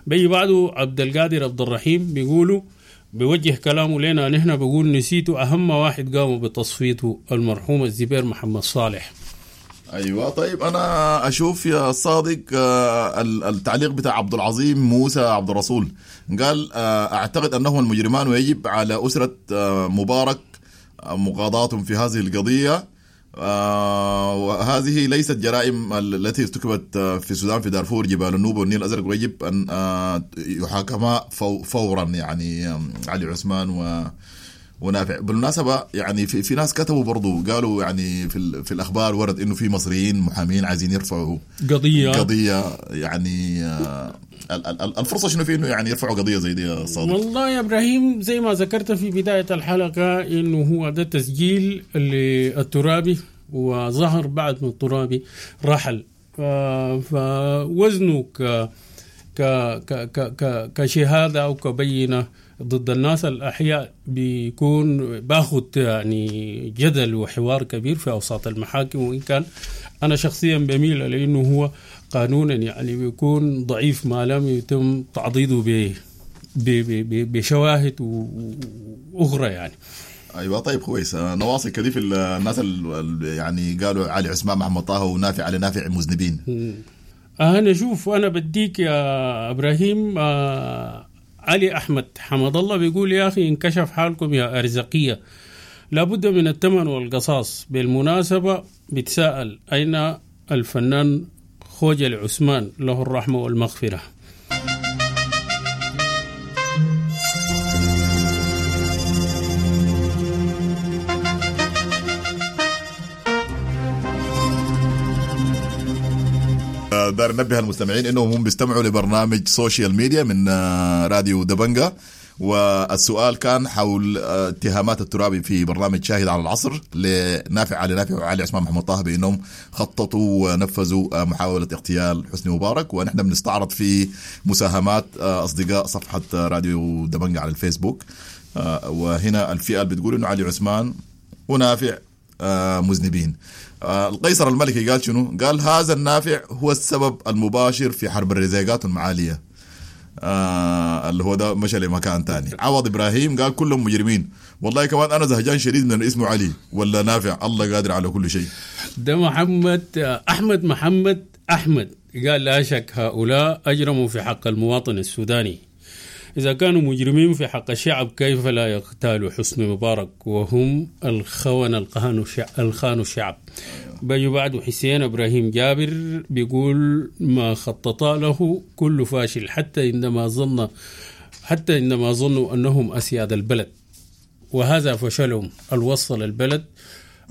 بيجي بعده عبد القادر عبد الرحيم بيقولوا بيوجه كلامه لنا نحن، بقول نسيته أهم واحد قاموا بتصفيته المرحوم الزبير محمد صالح. ايوه طيب انا اشوف يا صادق التعليق بتاع عبد العظيم موسى عبد الرسول، قال اعتقد انهم المجرمان ويجب على اسره مبارك مقاضاتهم في هذه القضية، وهذه ليست جرائم التي ارتكبت في السودان في دارفور جبال النوبة والنيل الأزرق، ويجب أن يحاكما فورا يعني علي عثمان و ونافع. بالمناسبة يعني في, في ناس كتبوا برضو قالوا يعني في, في الأخبار ورد إنه في مصريين محامين عايزين يرفعوا قضية قضية يعني الفرصة شنو في إنه يعني يرفعوا قضية زي دي يا صادق؟ والله يا إبراهيم زي ما ذكرت في بداية الحلقة إنه هو ده تسجيل للترابي، وظهر بعد ما الترابي رحل، فوزنه ك ك ك كشهادة أو كبينة ضد الناس الأحياء بيكون باخد يعني جدل وحوار كبير في أوساط المحاكم، وإن كان أنا شخصيا بميل لأنه هو قانونا يعني بيكون ضعيف ما لم يتم تعضيده ب بشواهد أخرى يعني. ايوه طيب كويس. نواصل كده في الناس اللي يعني قالوا علي عثمان محمد طه ونافع علي نافع مذنبين. انا شوف انا بديك يا ابراهيم، آه علي احمد حمد الله بيقول يا اخي انكشف حالكم يا ارزقيه، لابد من الثمن والقصاص. بالمناسبة بتساءل اين الفنان خوجل عثمان له الرحمة والمغفرة. دار نبه المستمعين انهم هم بيستمعوا لبرنامج social media من راديو دبنجا، والسؤال كان حول اتهامات الترابي في برنامج شاهد على العصر لنافع علي نافع وعلي عثمان محمد طه بانهم خططوا ونفذوا محاولة اغتيال حسني مبارك، ونحن بنستعرض في مساهمات اصدقاء صفحة راديو دبنجا على الفيسبوك. وهنا الفئة اللي بتقول انه علي عثمان ونافع مذنبين. القيصر الملكي قال شنو؟ قال هذا النافع هو السبب المباشر في حرب الرزاقات المعالية، آه اللي هو ده مشى لمكان تاني. عوض إبراهيم قال كلهم مجرمين، والله كمان أنا زهجان شديد من اسمه علي ولا نافع، الله قادر على كل شيء. ده محمد أحمد محمد أحمد قال لا شك هؤلاء أجرموا في حق المواطن السوداني، إذا كانوا مجرمين في حق الشعب كيف لا يغتالوا حسني مبارك وهم الخونة الخانوا الشعب. بيجي بعده حسين إبراهيم جابر بيقول ما خططا له كل فاشل، حتى عندما ظن حتى عندما ظنوا أنهم أسياد البلد، وهذا فشلهم الوصل البلد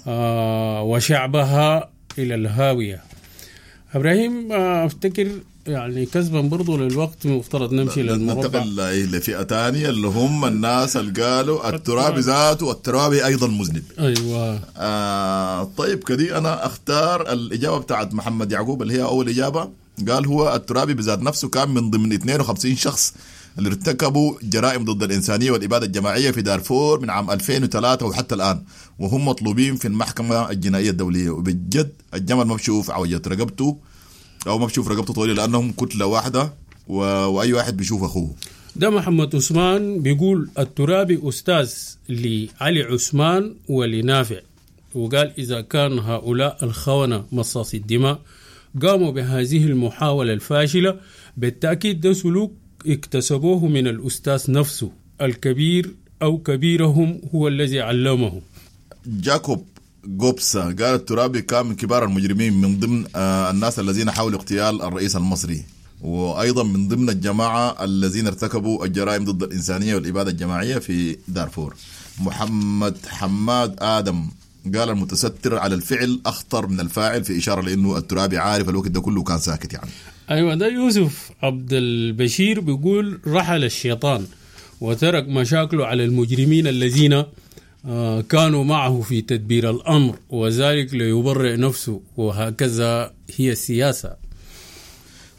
آه وشعبها إلى الهاوية. إبراهيم آه أفتكر يعني كسبا برضو للوقت مفترض نمشي للمربع، ننتقل لفئة تانية اللي هم الناس اللي قالوا الترابي ذاته والترابي أيضا مذنب. أيوة. آه طيب كدي أنا أختار الإجابة بتاعت محمد يعقوب اللي هي أول إجابة، قال هو الترابي بذات نفسه كان من ضمن اثنين وخمسين شخص اللي ارتكبوا جرائم ضد الإنسانية والإبادة الجماعية في دارفور من عام ألفين وثلاثة وحتى الآن، وهم مطلوبين في المحكمة الجنائية الدولية. وبجد الجمل ما بشوف عوجة رقبته أو ما بشوف رقبته طويلة لأنهم كتلة واحدة و... وأي واحد بيشوف أخوه. ده محمد عثمان بيقول الترابي أستاذ لعلي عثمان ولنافع، وقال إذا كان هؤلاء الخونة مصاصي الدماء قاموا بهذه المحاولة الفاشلة بالتأكيد ده سلوك اكتسبوه من الأستاذ نفسه الكبير أو كبيرهم هو الذي علمه. جاكوب جوبسا قال الترابي كان من كبار المجرمين، من ضمن الناس الذين حاولوا اغتيال الرئيس المصري، وأيضا من ضمن الجماعة الذين ارتكبوا الجرائم ضد الإنسانية والإبادة الجماعية في دارفور. محمد حماد آدم قال المتستر على الفعل أخطر من الفاعل، في إشارة لأنه الترابي عارف الوقت ده كله كان ساكت يعني. أيوة. ده يوسف عبد البشير بيقول رحل الشيطان وترك مشاكله على المجرمين الذين كانوا معه في تدبير الأمر، وذلك ليبرئ نفسه، وهكذا هي السياسة.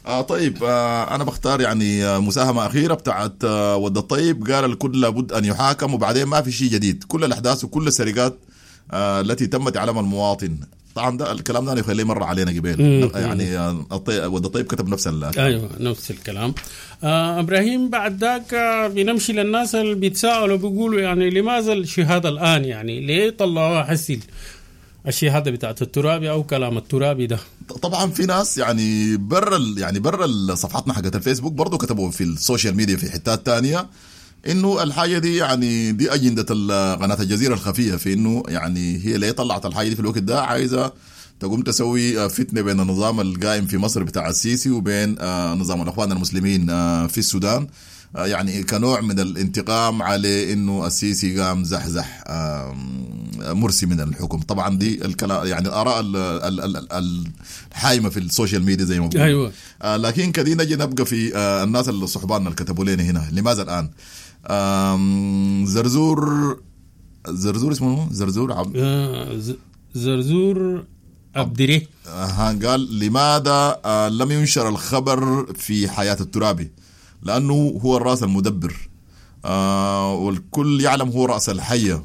آه طيب آه أنا بختار يعني مساهمة أخيرة بتاعت آه ود الطيب، قال الكل لابد أن يحاكم، وبعدين ما في شيء جديد، كل الأحداث وكل السرقات آه التي تمت على المواطن. طبعا ده الكلام ده أنا يخليه مرة علينا قبل يعني ود الطيب كتب نفس الكلام. أيوة نفس الكلام. آه إبراهيم بعد ذاك بنمشي للناس اللي بيتساءلوا بيقولوا يعني لماذا الشهادة الآن، يعني ليه طلعوها حسي الشهادة بتاعت الترابي أو كلام الترابي ده. طبعا في ناس يعني برا يعني برا صفحتنا حقت الفيسبوك برضو كتبوا في ال social media في حتات تانية انه الحاجة دي يعني دي اجندة قناة الجزيرة الخفية، في انه يعني هي ليه طلعت الحاجة دي في الوقت ده، عايزه تقوم تسوي فتنة بين النظام القائم في مصر بتاع السيسي وبين نظام الاخوان المسلمين في السودان، يعني كنوع من الانتقام على انه السيسي قام زحزح مرسي من الحكم. طبعا دي الكلام يعني الاراء الحايمه في ال social media زي ما بقول. ايوه. لكن كدي نجي نبقى في الناس اللي صحباننا اللي كتبوا لنا هنا لماذا الان. زرزور زرزور اسمه زرزور عب... زرزور عبدري آه قال لماذا لم ينشر الخبر في حياة الترابي؟ لأنه هو الرأس المدبر آه والكل يعلم هو رأس الحية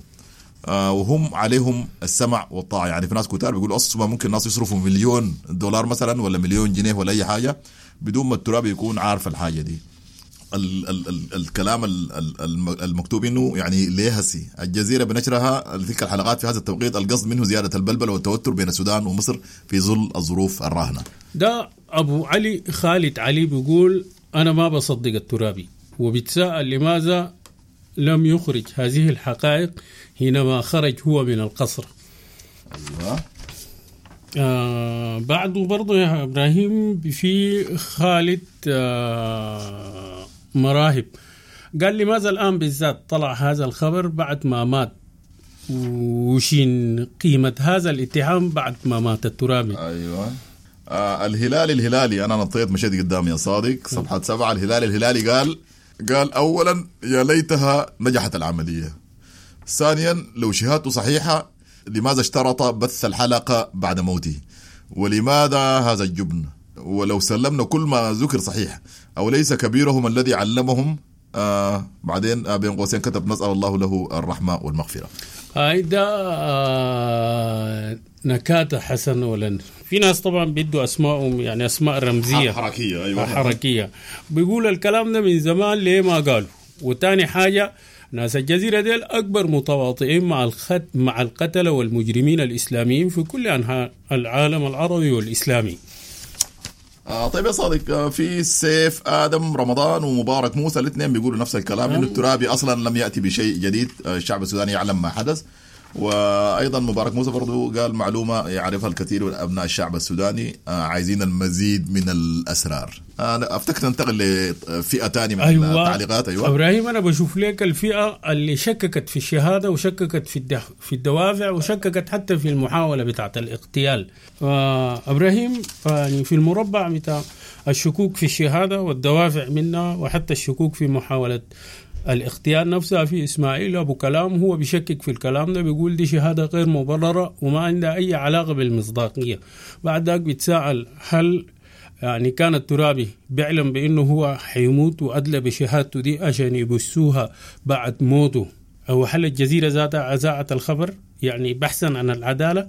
آه وهم عليهم السمع والطاعة. يعني في ناس كتار بيقولوا أصلا ممكن الناس يصرفوا مليون دولار مثلا ولا مليون جنيه ولا أي حاجة بدون ما الترابي يكون عارف الحاجة دي. ال ال ال الكلام ال ال المكتوب انه يعني ليه هسي الجزيرة بنشرها تلك الحلقات في هذا التوقيت القصد منه زيادة البلبلة والتوتر بين السودان ومصر في ظل الظروف الراهنة. ده ابو علي خالد علي بيقول انا ما بصدق الترابي، وبيتساءل لماذا لم يخرج هذه الحقائق حينما خرج هو من القصر. ايوه. آه بعده برضه يا ابراهيم في خالد آه مراهب قال لماذا الآن بالذات طلع هذا الخبر بعد ما مات، وشين قيمة هذا الاتهام بعد ما مات الترابي. أيوة. آه الهلالي الهلالي أنا نطيت مشيت قدام يا صادق صفحة سبعة. الهلالي الهلالي قال قال أولا يا ليتها نجحت العملية، ثانيا لو شهادته صحيحة لماذا اشترط بث الحلقة بعد موته، ولماذا هذا الجبن، ولو سلمنا كل ما ذكر صحيح أو ليس كبيرهم الذي علمهم. آه بعدين آه بين قوسين كتب نسأل الله له الرحمة والمغفرة. هيدا آه نكاتة حسن ولا في ناس طبعا بيدوا أسمائهم يعني أسماء رمزية حركية. أيوة حركية، بيقول الكلام ده من زمان ليه ما قالوا. وتاني حاجة ناس الجزيرة ديل أكبر متواطئين مع الخد مع القتلة والمجرمين الإسلاميين في كل أنحاء العالم العربي والإسلامي. آه طيب يا صادق، في سيف آدم رمضان ومبارك موسى الاثنين بيقولوا نفس الكلام، إنه الترابي أصلا لم يأتي بشيء جديد، الشعب السوداني يعلم ما حدث. وأيضا مبارك موسى برضو قال معلومة يعرفها الكثير من أبناء الشعب السوداني، آه عايزين المزيد من الأسرار. أنا أفتكر ننتقل لفئة تانية من أيوة. التعليقات. أيوة إبراهيم، أنا بشوف لك الفئة اللي شككت في الشهادة وشككت في في الدوافع وشككت حتى في المحاولة بتاعة الاغتيال. إبراهيم يعني في المربع بتاع الشكوك في الشهادة والدوافع منها وحتى الشكوك في محاولة الاغتيال نفسها، في إسماعيل أبو كلام هو بيشكك في الكلام ده، بيقول دي شهادة غير مبررة وما عندها أي علاقة بالمصداقية. بعد ذاك بيتساءل هل يعني كان الترابي بيعلم بأنه هو حيموت وأدلى بشهادته دي عشان يبثوها بعد موته، أو هل الجزيرة ذاتها أذاعت الخبر يعني بحثا عن العدالة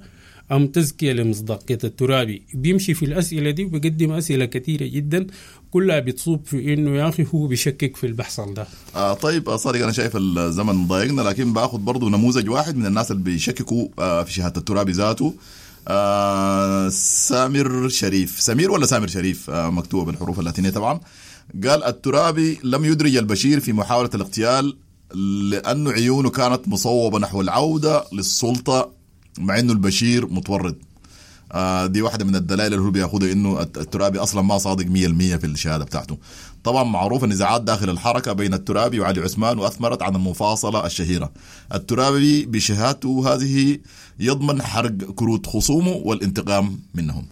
أم تزكية لمصداقية الترابي؟ بيمشي في الأسئلة دي وبيقدم أسئلة كثيرة جدا كلها بتصوب في إنه يا أخي هو بيشكك في البحث ده. آه طيب صادق، أنا شايف الزمن ضايقنا، لكن باخذ برضو نموذج واحد من الناس اللي بيشككوا آه في شهادة الترابي ذاته. آه سامر شريف، سمير ولا سامر شريف، آه مكتوبة بالحروف اللاتينية طبعا، قال الترابي لم يدرج البشير في محاولة الاغتيال لأنه عيونه كانت مصوبة نحو العودة للسلطة مع انه البشير متورط. آه دي واحدة من الدلائل اللي هو بياخدها انه الترابي اصلا ما صادق مية بالمية في الشهادة بتاعته. طبعا معروف النزاعات داخل الحركة بين الترابي وعلي عثمان واثمرت عن المفاصلة الشهيرة. الترابي بشهادته هذه يضمن حرق كروت خصومه والانتقام منهم.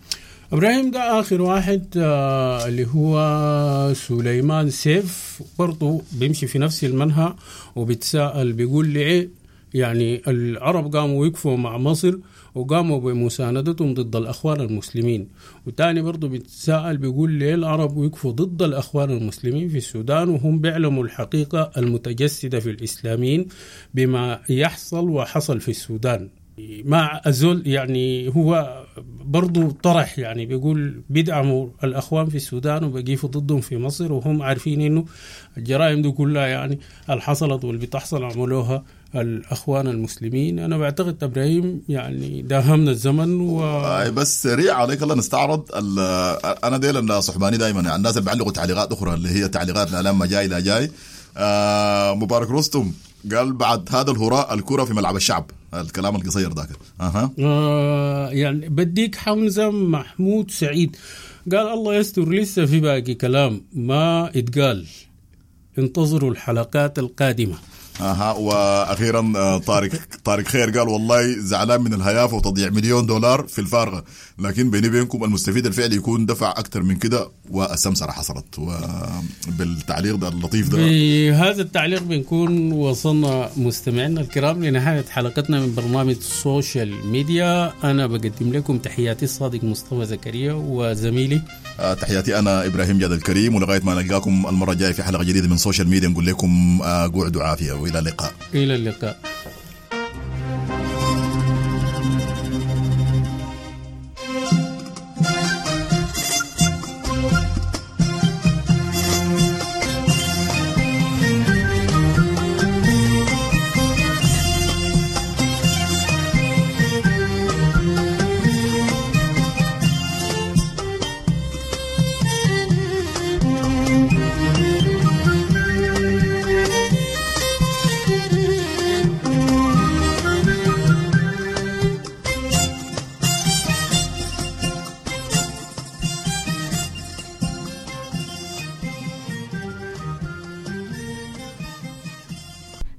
ابراهيم ده اخر واحد آه اللي هو سليمان سيف، برضه بيمشي في نفس المنهى وبيتساءل بيقول لي ايه يعني العرب قاموا وقفوا مع مصر وقاموا بمساندتهم ضد الأخوان المسلمين. وتاني برضو بيتساءل بيقول ليه العرب وقفوا ضد الأخوان المسلمين في السودان وهم بيعلموا الحقيقة المتجسدة في الإسلاميين بما يحصل وحصل في السودان. مع الزول يعني هو برضو طرح يعني بيقول بيدعموا الأخوان في السودان وبيقفوا ضدهم في مصر، وهم عارفين إنه الجرائم دي كلها يعني اللي حصلت واللي بتحصل عملوها الأخوان المسلمين. أنا بعتقد إبراهيم يعني داهمنا الزمن و... بس سريع عليك الله نستعرض. أنا ديل صحباني دايما يعني الناس اللي بيعلقوا تعليقات أخرى اللي هي تعليقات لا لما جاي لا جاي. آه مبارك رستم قال بعد هذا الهراء الكرة في ملعب الشعب، الكلام القصير ذاك. أها. آه يعني بديك حمزة محمود سعيد قال الله يستر لسه في باقي كلام ما اتقال، انتظروا الحلقات القادمة. اها. واخيرا طارق طارق خير قال والله زعلان من الهيافه وتضييع مليون دولار في الفارغه، لكن بيني بينكم المستفيد الفعلي يكون دفع اكثر من كده والسمسره حصلت. وبالتعليق ده اللطيف ده، بهذا التعليق بنكون وصلنا مستمعينا الكرام لنهايه حلقتنا من برنامج السوشيال ميديا. انا بقدم لكم تحياتي الصادق مصطفى زكريا وزميلي تحياتي انا ابراهيم جاد الكريم، ولغايه ما نلقاكم المره الجايه في حلقه جديده من سوشيال ميديا نقول لكم قعدوا عافيه والى اللقاء. الى اللقاء.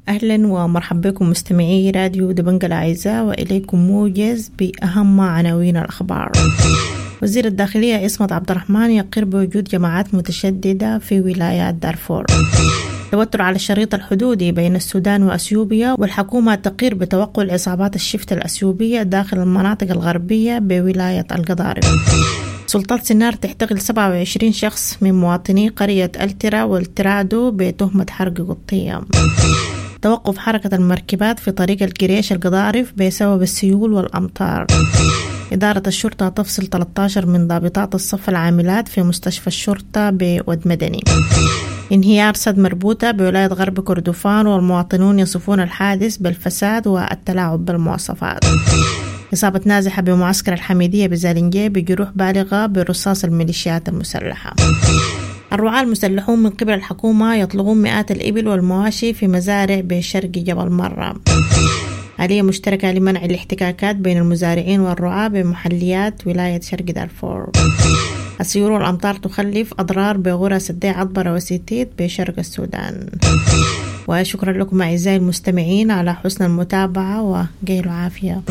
أهلا ومرحبا بكم مستمعي راديو دبنجة الأعزاء، وإليكم موجز بأهم عناوين الأخبار. وزير الداخلية عصمت عبد الرحمن يقر بوجود جماعات متشددة في ولايات دارفور. توتر على الشريط الحدودي بين السودان وأثيوبيا، والحكومة تقر بتوقع عصابات الشفت الأثيوبية داخل المناطق الغربية بولاية القضارف. سلطات سنار تحتقل سبعة وعشرين شخص من مواطني قرية الترا والترادو بتهمة حرق قطية. توقف حركة المركبات في طريق القريش القضارف بسبب السيول والأمطار. إدارة الشرطة تفصل ثلاثة عشر من ضابطات الصف العاملات في مستشفى الشرطة بود مدني. انهيار سد مربوطة بولاية غرب كردفان، والمواطنون يصفون الحادث بالفساد والتلاعب بالمواصفات. إصابة نازحة بمعسكر الحميدية بزالنجي بجروح بالغة برصاص الميليشيات المسلحة. الرعاة المسلحون من قبل الحكومة يطلقون مئات الإبل والمواشي في مزارع بشرق جبل مرة. آلية مشتركة لمنع الاحتكاكات بين المزارعين والرعاة بمحليات ولاية شرق دارفور. السيول والأمطار تخلف أضرار بغرى سدي عطبرة وسيتيت بشرق السودان. وشكرا لكم أعزائي المستمعين على حسن المتابعة، وقيلوا عافية.